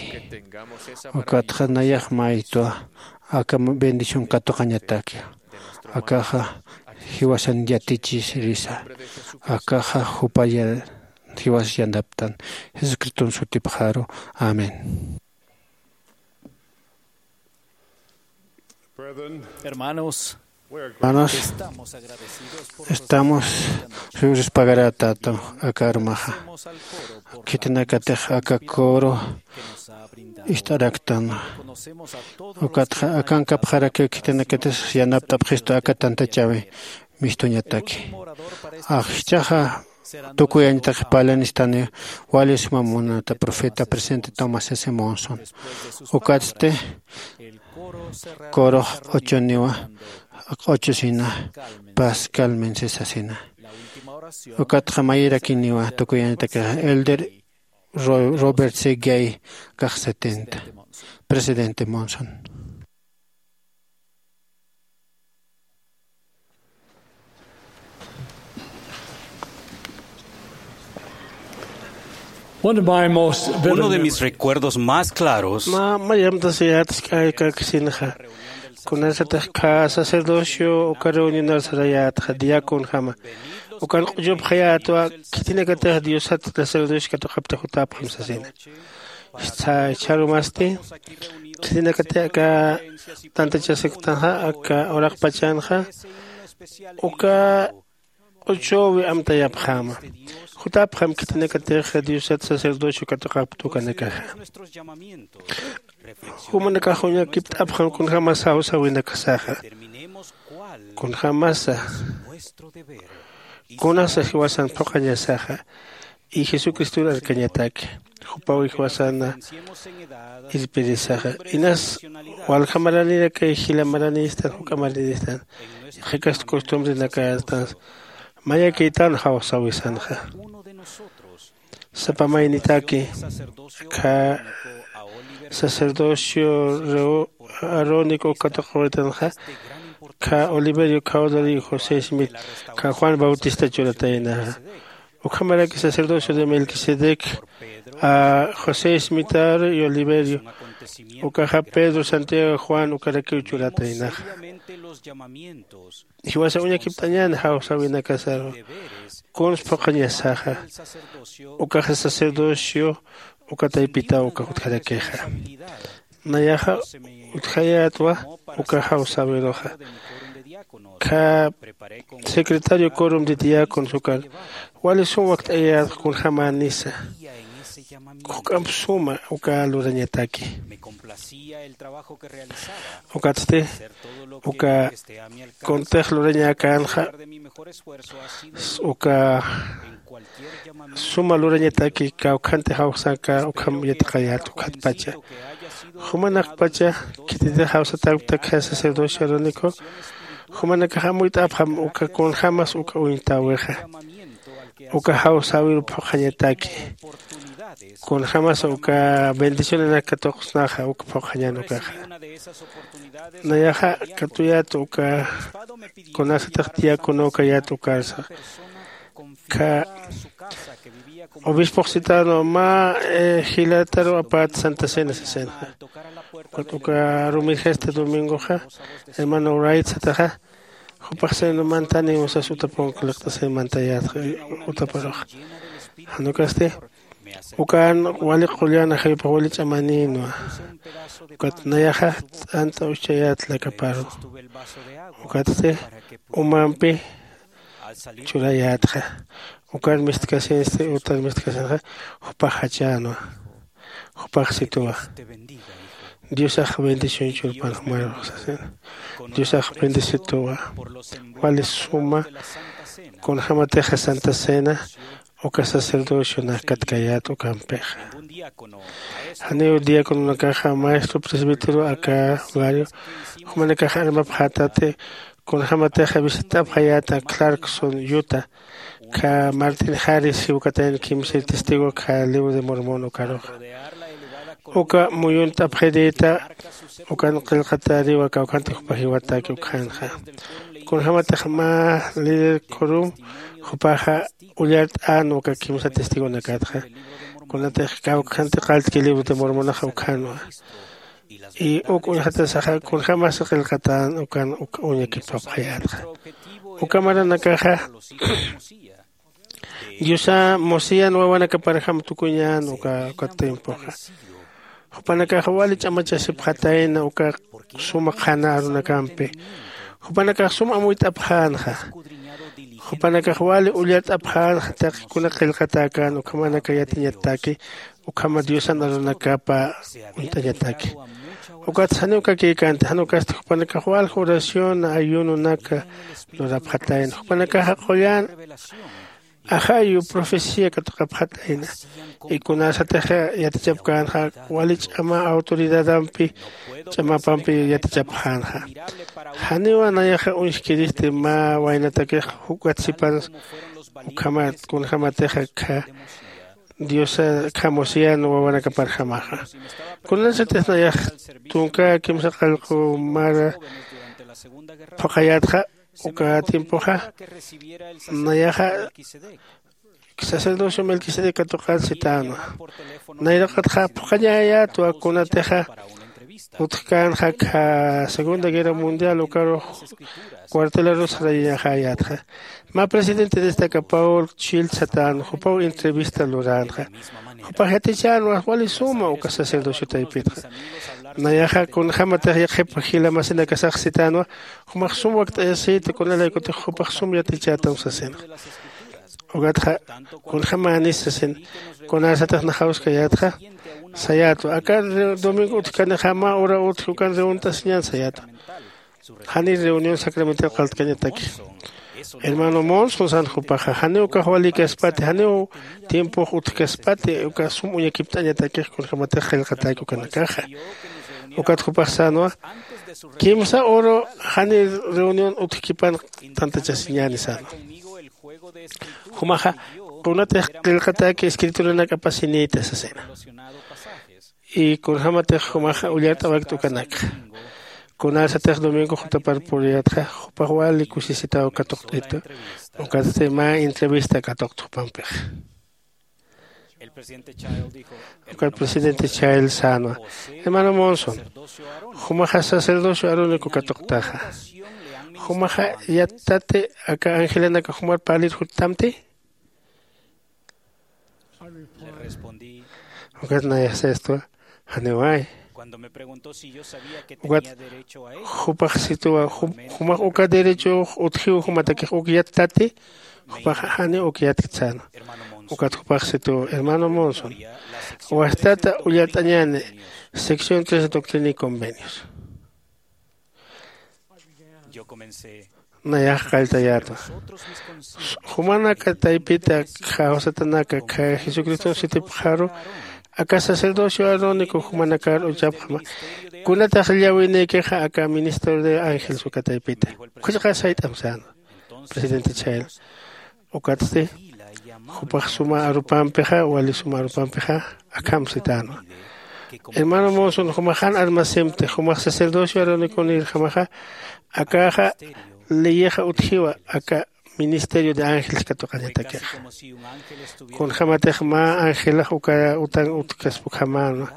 Ukatxa nayax maytwa aka bendición katuqañataki. Akaxa jiwasan yatichisirisa. Akaxa jupaya jiwas yanaptan. Jesucriston sutipxaru. Amén. Hermanos, hermanos, estamos rispagarätata aka armaxa. Khitinakatix aka coro ist'araktan. Ukatxa akankapxarakiw khitinakatis yanapt'apxistu aka tantachäwi mistuñataki. Ajchaxa tukuyañataki parlanistani wali suma munata profeta presidente Thomas S Monson. Ukatsti corox q'uchuniwa q'uchusina pascal mense sasina. Ukatxa mayirakiniwa tukuyañataki elder Robert C Gay kax setenta presidente Monson. Uno de mis recuerdos más claros. Mä mayamtasayätsk'ay kakisinxa. Kunasatix kha sacerdocio uka reunionar sarayätxa diaconjama. Ukan q'uchupxayätwa khitinakatix diosat sacerdocio katuqapta jutapxam sasina. Chharumasti khitinakatix aka tantachasaktanxa aka uraqpachanxa uka q'uchuwi amtayapxäma. Jutapxam khitinakatix diosat sacerdocio katuqapta ukanakaxa. Jumanakax uñakipt'apxam kunjämas jawsäwinakasaxa. Kunjämasa kunasa jiwasan phuqhañasaxa. Y jesucristur arkañataki jupaw jiwasana irpirisaxa. Inas walja maranirakay jila maranistan juk'a maranistan. Qhikast costumbrenakastan mayakïtan jawsawisanxa. Sapa maynitaki kha sacerdocio arónico katuqawitanxa kha oliverio cawdari josé smith kha juan bautista churataynaxa. Ukhamaraki sacerdocio de melquisedec josé smitharu y oliverio ukaxa pedro santiago juan ukarakiw churataynaxa. Jiwasa uñakipt'añän jawsäwinakasaru kuns phuqhañasaxa. Ukaxa sacerdocio uka taypitaw uka jutjarakixa. Nayaxa utjayätwa uka jawsäwiruxa. Kha secretario corum de diáconos ukan wali sum wakt'ayätxa kunjämänisa. Juk'amp suma uka lurañataki. Ukatsti uka kuntix lurañäkänxa uka suma lurañataki kawkhanti jawsanka ukham yatiqayät ukhatpacha. Jumanakpacha khititix jawsatäktakja sacerdocio arónico jumanakax amuyt'apxam uka kunjämas uka uñtäwixa. Uka jawsäwiru phuqhañataki kunjämas uka bendicionanak katuqsnaxa uka phuqhañän ukaxa. Nayaxa katuyät uka kunasatix diácono kayät ukarsa kha obispox sitano mä jilataru apät santa cena sasinxa. Ukat uka rumirjasta domingoxa hermano wright sataxa jupax seno mantani usas utapunka liqt'asir mantayätxa utaparuxa. Jan ukasti ukan wali qullan ajayupax wali ch'amanïnwa. Ukat nayaxa t'ant'a uschayät lakaparu. Ukatsti umampi churayätxa. Ukar mistkasinsti utar mistkasinxa jupax jachänwa. Jupax situwa. Diosax bendición churpan jumarux sasina. Diosax bendicituwa. Wali suma kunjämatixa santa cena uka sacerdocionax katkayät ukampixa. Janiw diacononakaxa maestro presbítero aka barrio jumanakax armapxätati. Kunjämatixa visitapxayäta clarkson yuta kha martin jaris jiwkatayan kimsir testigo kha libro de mormon ukaruxa. Uka muyunt'apxirïta ukan qillqatäriwa kawkhanti jupa jiwataki ukhanxa. Kunjämatix mä líder kurum jupaxa ullart'än uka kimsa testigonakatxa. Kunatix kawkhanti qalltki libro de mormonaxa ukhanwa. Y uk uñjatasaxa kunjämasa qillqatän ukan uk uñakipapxayänxa. Uka maranakaxa diosa mosiyan wawanakaparjam tukuñän uka uka tiempoxa. Jupanakax wali ch'amachasipxatayna uka suma qhana arunakampi. Jupanakax sum amuyt'apxänxa. Jupanakax wali ullart'apxänxa taqi kuna qillqatäkän ukhamanaka yatiñataki ukhama diosan arunakapa uñt'añataki. Ukatsa janiw kakïkänti jan ukasti jupanakax walja oración ayunonaka lurapxatayna jupanakaxa qullan ajayu profecía katuqapxatayna. Y kunasatix yatichapkänxa wali ch'ama autoridadampi ch'amapampi yatichapxänxa. Janiwa nayaxa uñjkiristi mä waynatakix jukat sipan ukhamat kunjämatixa kha diosa kha mosiyan wawanakaparjamaxa. Kunasatix nayax tunka kimsa qallqu mara phuqhayätxa uka tiempoxa nayaxa sacerdocio melquisedec katuqan sitänwa. Nayraqatxa phuqhañäyätwa kunatixa utjkänxa kha segunda guerra mundial ukarux cuartelarus sarayañaxäyätxa. Mä presidente destaca paul chil satän jupaw entrevista luränxa. Jupax yatichänwa wali suma uka sacerdocio taypitxa. Nayaxa kunjämatix yaqhip jila masinakasax sitänwa jumax sum wakt'ayasïta kunalaykutix jupax sum yatichätam sasinxa. Ukatxa kunjämänis sasin kunasatix naxawskayätxa sayätwa aka domingo utjkanixa mä ura utji ukan reunirt'asiñän sayätwa. Janiw reunión sacramental qalltkañataki. Hermano monson san jupaxa janiw ukax walïkaspati janiw tiempox utjkaspati uka sum uñakipt'añatakix kunjämatix qillqatäki ukanakaxa. Ukat jupax sänwa kimsa uru janiw reunión utjkipan tantachasiñäni sänwa. Jumaxa kunatix qillqatäki escrituranakapasinïta sasina. Y kunjämatix jumaxa ullart'awakta ukanakxa kunasatix domingo jutapar puriyätxa jupax wali kusisitaw katuqt'itu. Ukatsti mä entrevista katuqta jupampixa. Ukat presidente chayl sänwa hermano monson jumaxa sacerdocio arónico katuqtaxa. Jumaxa yattati aka angelanaka jumar parlir juttamti? Ukat nayaxsistwa janiway. Ukat jupax situwa jumax uka derechox utjiw jumatakix uk yattati? Jupax janiw uk yatkt sänwa. Ukat jupax situwa hermano monson wastata ullart'añäni sección tres doctrina y convenios. Nayax qalltayätwa jumanaka taypita kawsatanaka jesucriston sitipxaru aka sacerdocio arónico jumanakar uchapxama. Kunatax llawinïkixa aka ministerio de ángeles uka taypita. Ukhachaqa sayt'am sänwa presidente chayla. Ukatsti jupax suma arupampixa wali suma arupampixa akham sitänwa. Hermano monson jumax jan armasimti jumax sacerdocio aronikunïrjamaxa akaxa leyixa utjiwa aka ministerio de ángeles katuqañatakixa. Kunjämatix mä angelax uka utan utjkaspa ukhamänwa.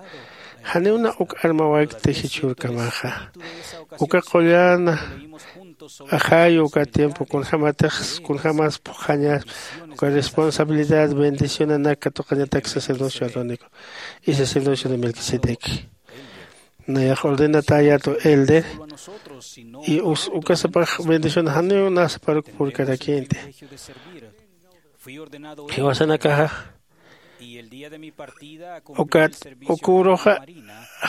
Janiwna uk armawaykti jichhürkamaxa. Uka qullan ajayu uka tiempo kunjämatix kunjämas phuqhañas uka responsabilidad bendicionanak katuqañatak sacerdocio arónico y sacerdocio de melquisedec. Nayax ordenatäyätwa elder, y ukasapax bendición janiw nasaparuk purkarakïnti. Jiwasanakaxa ukat uküruxa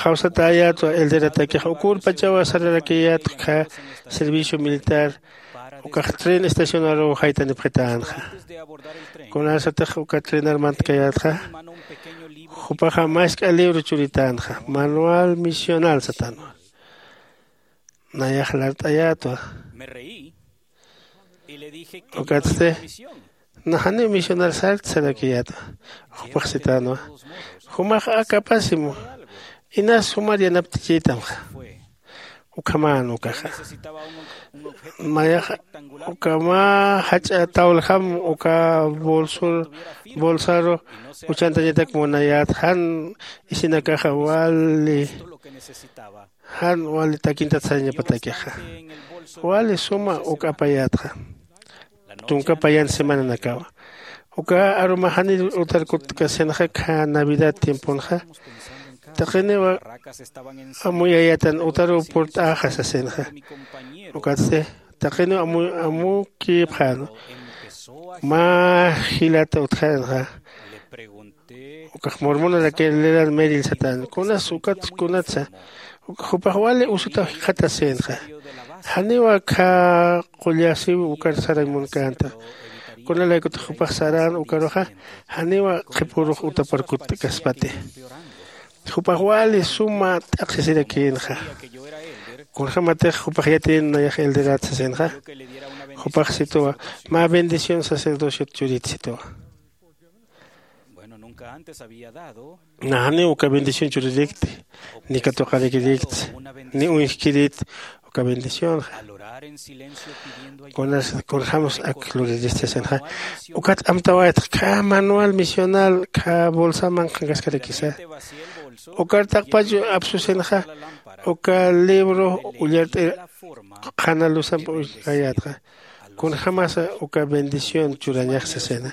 jawsatäyätwa elderatakixa ukürpachawa sararakiyätwa servicio militar ukax tren estacionaruw jaytanipxitänxa. Kunasatix uka trenar mantkayätxa jupaxa mask'a libro churitänxa manual misional satanwa. Nayax lart'ayätwa. Ukatsti naxaniw misionar sarkt sarakiyätwa. Jupax sitänwa jumax akapasimu inas jumar yanapt'ichïtamxa. Ukhamän ukaxa mayax uka mä jach'a tawljam uka bolsaru uchantañatak munayät jan isinakaxa wali jan wali takintat sarañapatakixa. Wali suma uk apayätxa tunka payan semananakawa. Uka arumaxanir utar kutkasinaxa kha navidad tiemponxa taqiniw amuyayätan utaruw purt'äxa sasinxa. Ukatsti taqiniw amukïpxän mä jilata utjänxa. Ukax mormonarakir leran meril satän kunas ukat kunatsa jupax wali usutaw jikxatasïnxa. Janiw akha qullasiw ukar sarañ munkänta. Kunalaykutix jupax sarän ukaruxa janiw qhipürux utapar kutt'kaspati. Jupax wali suma t'aqsisirakïnxa. Kunjämatix jupax yatiyän nayax elderat sasinxa jupax situwa mä bendición sacerdociot churit situwa. Naxaniw uka bendición churirikti ni katuqarikirikti ni uñjkirit uka bendicionxa. Kunas kunjämas ak luriristi sasinxa. Ukat amtawaytx khä manual misional khä bolsaman qhankaskarakisa. Ukar taqpach apsusinxa uka libro ullart'ir qhana luzamp uñjayätxa. Kunjämasa uka bendición churañax sasina.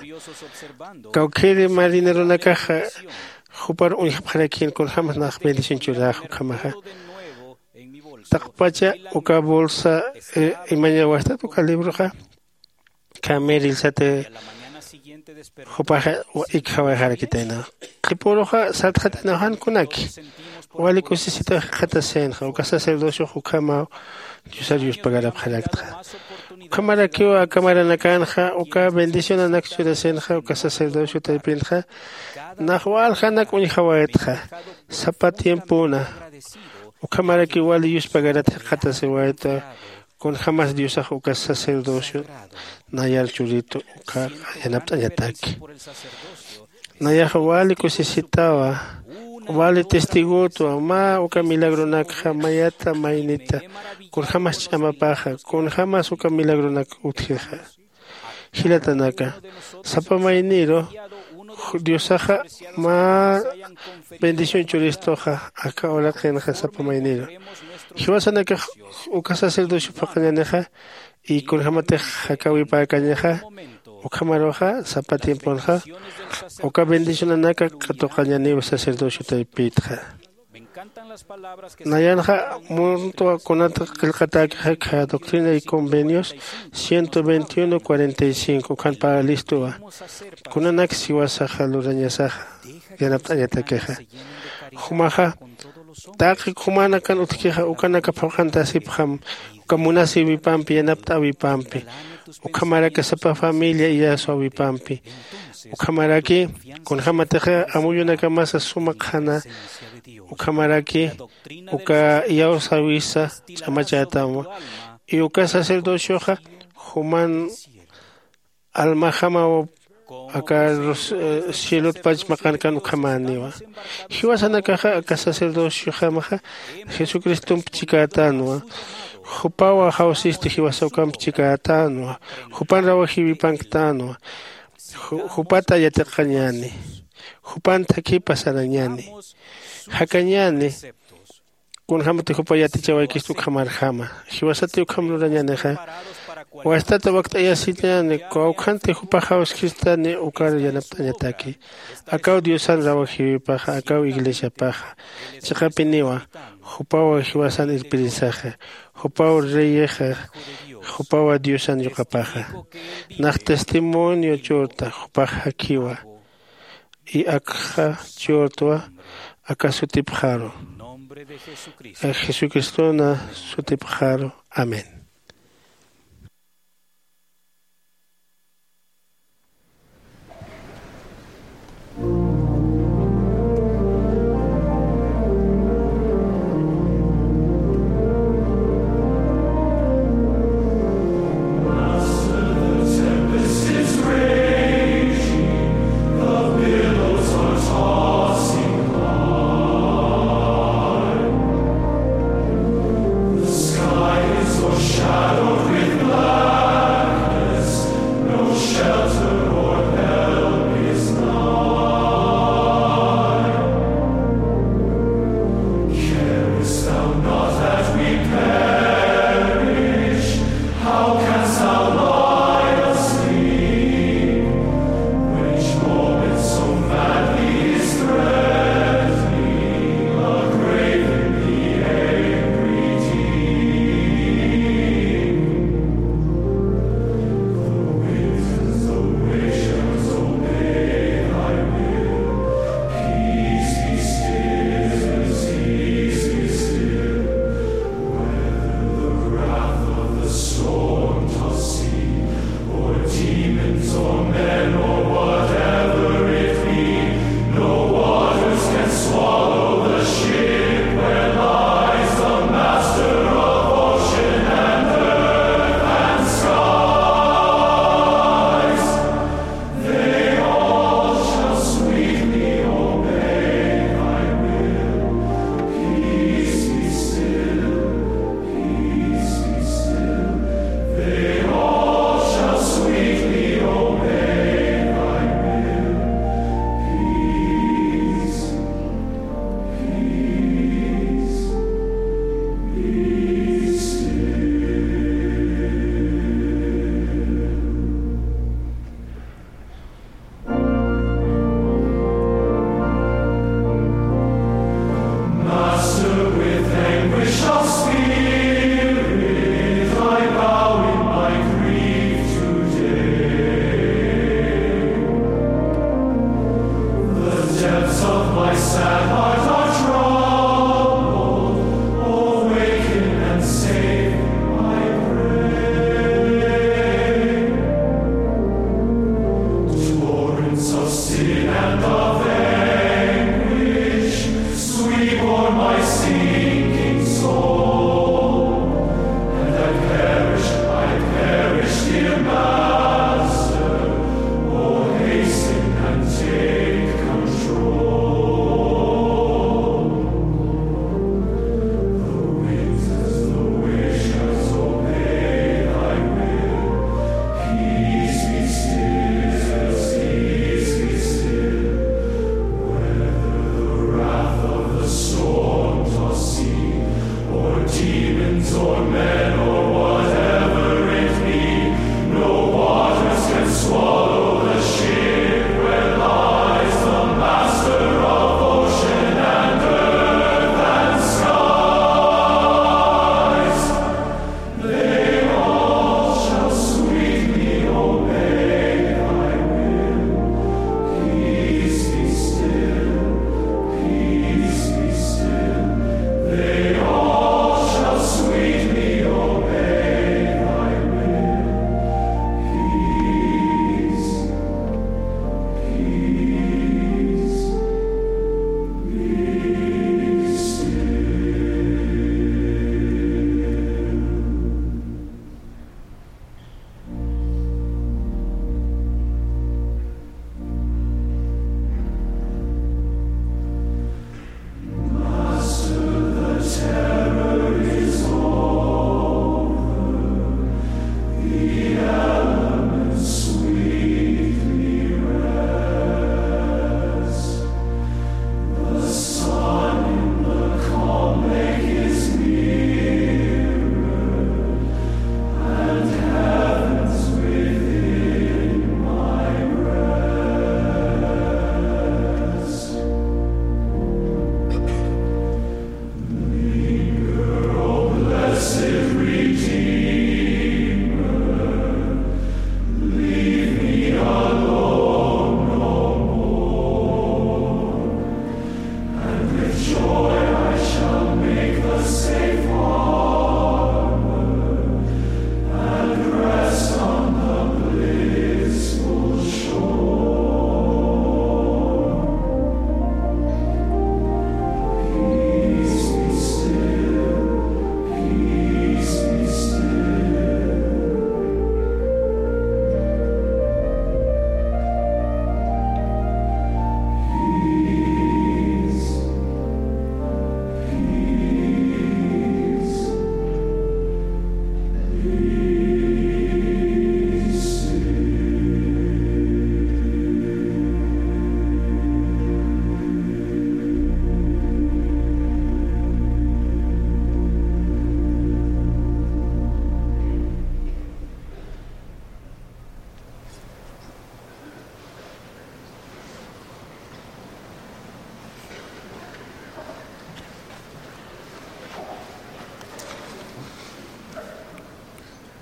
Kawkhiri marineronakaxa jupar uñjapxarakïn kunjämas nax bendición churäx ukhamaxa. Taqpacha uka bolsa imañawastat uka libroxa. Khamirillsati jupaxa ikjawayxarakitaynawa. Qhipüruxa sartxataynawa jan kunaki wali kusisitaw jikxatasïnxa uka sacerdociox ukhamaw diosar yuspagarapxaraktxa. Ukhamarakiw aka maranakänxa uka bendicionanak churasïnxa uka sacerdocio taypintxa nax waljanak uñjawaytxa. Sapa tiempona ukhamarakiw wali yuspagarat jikxatasiwayta. Kunjämas diosax uka sacerdocio nayar churitu uka yanapt'añataki. Nayaxa wali kusisitawa wali testigotwa mä uka milagronakxa mayata maynita kunjämas ch'amapaxa kunjämas uka milagronak utjixa. Jilatanaka sapa mayniru diosaxa mä bendición churistuxa aka uraqinxa sapa mayniru. Jiwasanakax uka sacerdocio phuqhañänixa y kunjämatix jakäwipäkañaxa ukhamaruxa sapa tiemponxa uka bendicionanaka katuqañäniw sacerdocio taypitxa. Nayanxa muntwa kunat qillqatäkixa kha doctrina y convenios ciento veintiuno cuarenta y cinco ukhan pä listuwa. Kunanak siwasaxa lurañasaxa yanapt'añatakixa jumaxa taqi jumanakan utjkixa ukanaka phuqhantasipxam uka munasïwipampi yanapt'äwipampi ukhamaraki sapa familia iyaswäwipampi. Ukhamaraki kunjämatixa amuyunakamasa suma qhana ukhamaraki uka iyawsäwisa ch'amachätamwa. Y uka sacerdocioxa juman almajamaw aka cielotpach maqankan ukhamäniwa. Jiwasanakaxa aka sacerdociojamaxa jesucristomp chikätänwa. Jupaw jawsisti jiwasa ukamp chikätänwa. Jupan rawajïwipanktänwa. Jupata yatiqañäni. Jupan thakhipa sarañäni. Jakañäni kunjämati jupa yatichawaykistu ukhamarjama. Jiwasati ukham lurañänixa wastata wakt'ayasiñäni kawkhanti jupax jawskistani ukar yanapt'añataki. Akaw diosan rawajïwipaxa akaw iglesiapaxa chiqapiniwa. Jupawa jiwasan irpirisaxa, jupaw reyexa, jupawa Diosan yuqapaxa. Nax testimonio churta jupax jakhiwa. Y akxa churtwa aka sutipxaru, jesucristona sutipxaru. Amén. The sky is o'ershadowed with blackness, no shelter or help is nigh. Carest thou not that we perish? How canst thou lie asleep, when each moment so madly is threatening, a grave in the angry deep? The winds and the waves shall obey thy will. Peace be still, peace be still. Whether the wrath of the storm-tossed sea, or demons, or men, or whatever it be, no waters can swallow the ship where lies the Master of ocean and earth and skies. They all shall sweetly obey thy will. Peace be still, peace be still. They all shall sweetly obey thy will. Peace, peace, be still. Master, with anguish of spirit I bow in my grief today. The depths of my sad heart are troubled. Awaken and save, I pray. Torrents of sin and of anguish sweep o'er my sinking soul, and I perish, I perish, dear Master. Oh, hasten and take control. The winds and the waves shall obey thy will. Peace be still, peace be still. Whether the wrath of the storm-tossed sea,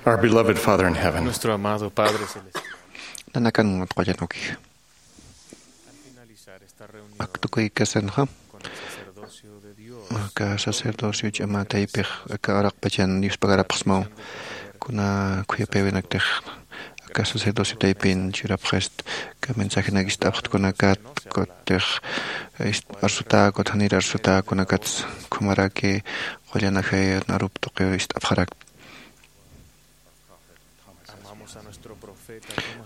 Our beloved Father in heaven. Nuestro amado Padre Celestial. Nanakan qullan ukix. Al finalizar esta reunión, aktukuy kasanxa, con el sacerdocio de Dios, aka sacerdocio ch'ama taypix aka araqpachan yuspagarapxsmaw, kuna khuyapïwinaktix aka sacerdocio taypin churapxist, aka mensajenak ist'apxtkunakat, kutix ist-, arsutäkut, janir arsutäkunakats, ukhamaraki qullan ajay narup tuqiw ist'apxarak.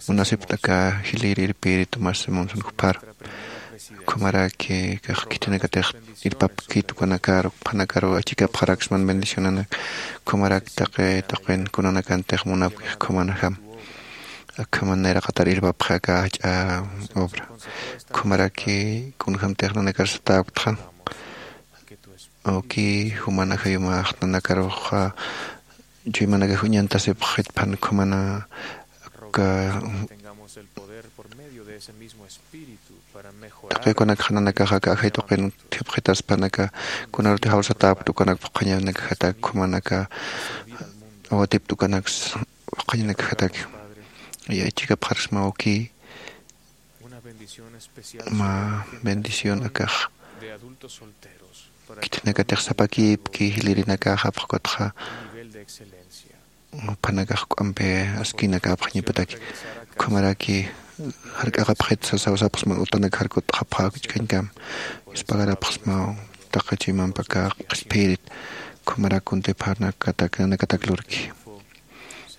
Munasipt'aka jilïr irpïri Tomás Monson jupar. Ukhamaraki kax khitinakatix irpapkit ukanakaru, ukhanakaru achikapxaraksman bendicionanak. Ukhamarak taqi tuqin kunanakantix munapkix ukhamanajam. Akhaman nayraqatar irpapxi aka jach'a obra. Ukhamaraki kunjamtix nanakar satäpktxa. Awki, juman ajayumax nanakaruxa chuymanakax uñantasipxit, ukhamana aka taqi ukanakxa nanakax aka ajay tuqin thipxitaspanaka, kunarutix jawsatäpkta ukanak phuqhañanakajatak, ukhamanaka awatipkta ukanaks phuqhañanakajatak. Yachikapxarsma awki, mä bendición akax khitinakatix sapakïpki, jilïrinakaxa phuqhutxa jupanakax juk'ampi askïnakäpxañapataki. Ukhamaraki jark'aqapxit sasaw sapxsma, utanak jarkut'xapxä jichhañkam, yuspagarapxsmaw taqi chuymampaka qhispiyirït. Ukhamarak kuntipxarnakatak nanakatak lurki.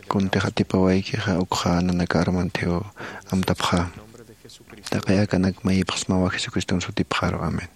Kuntix atipawaykixa, ukxa nanaka armanthiw amtapxä. Taqi akanak mayipxsmawa Jesucriston sutipxaru. Amén.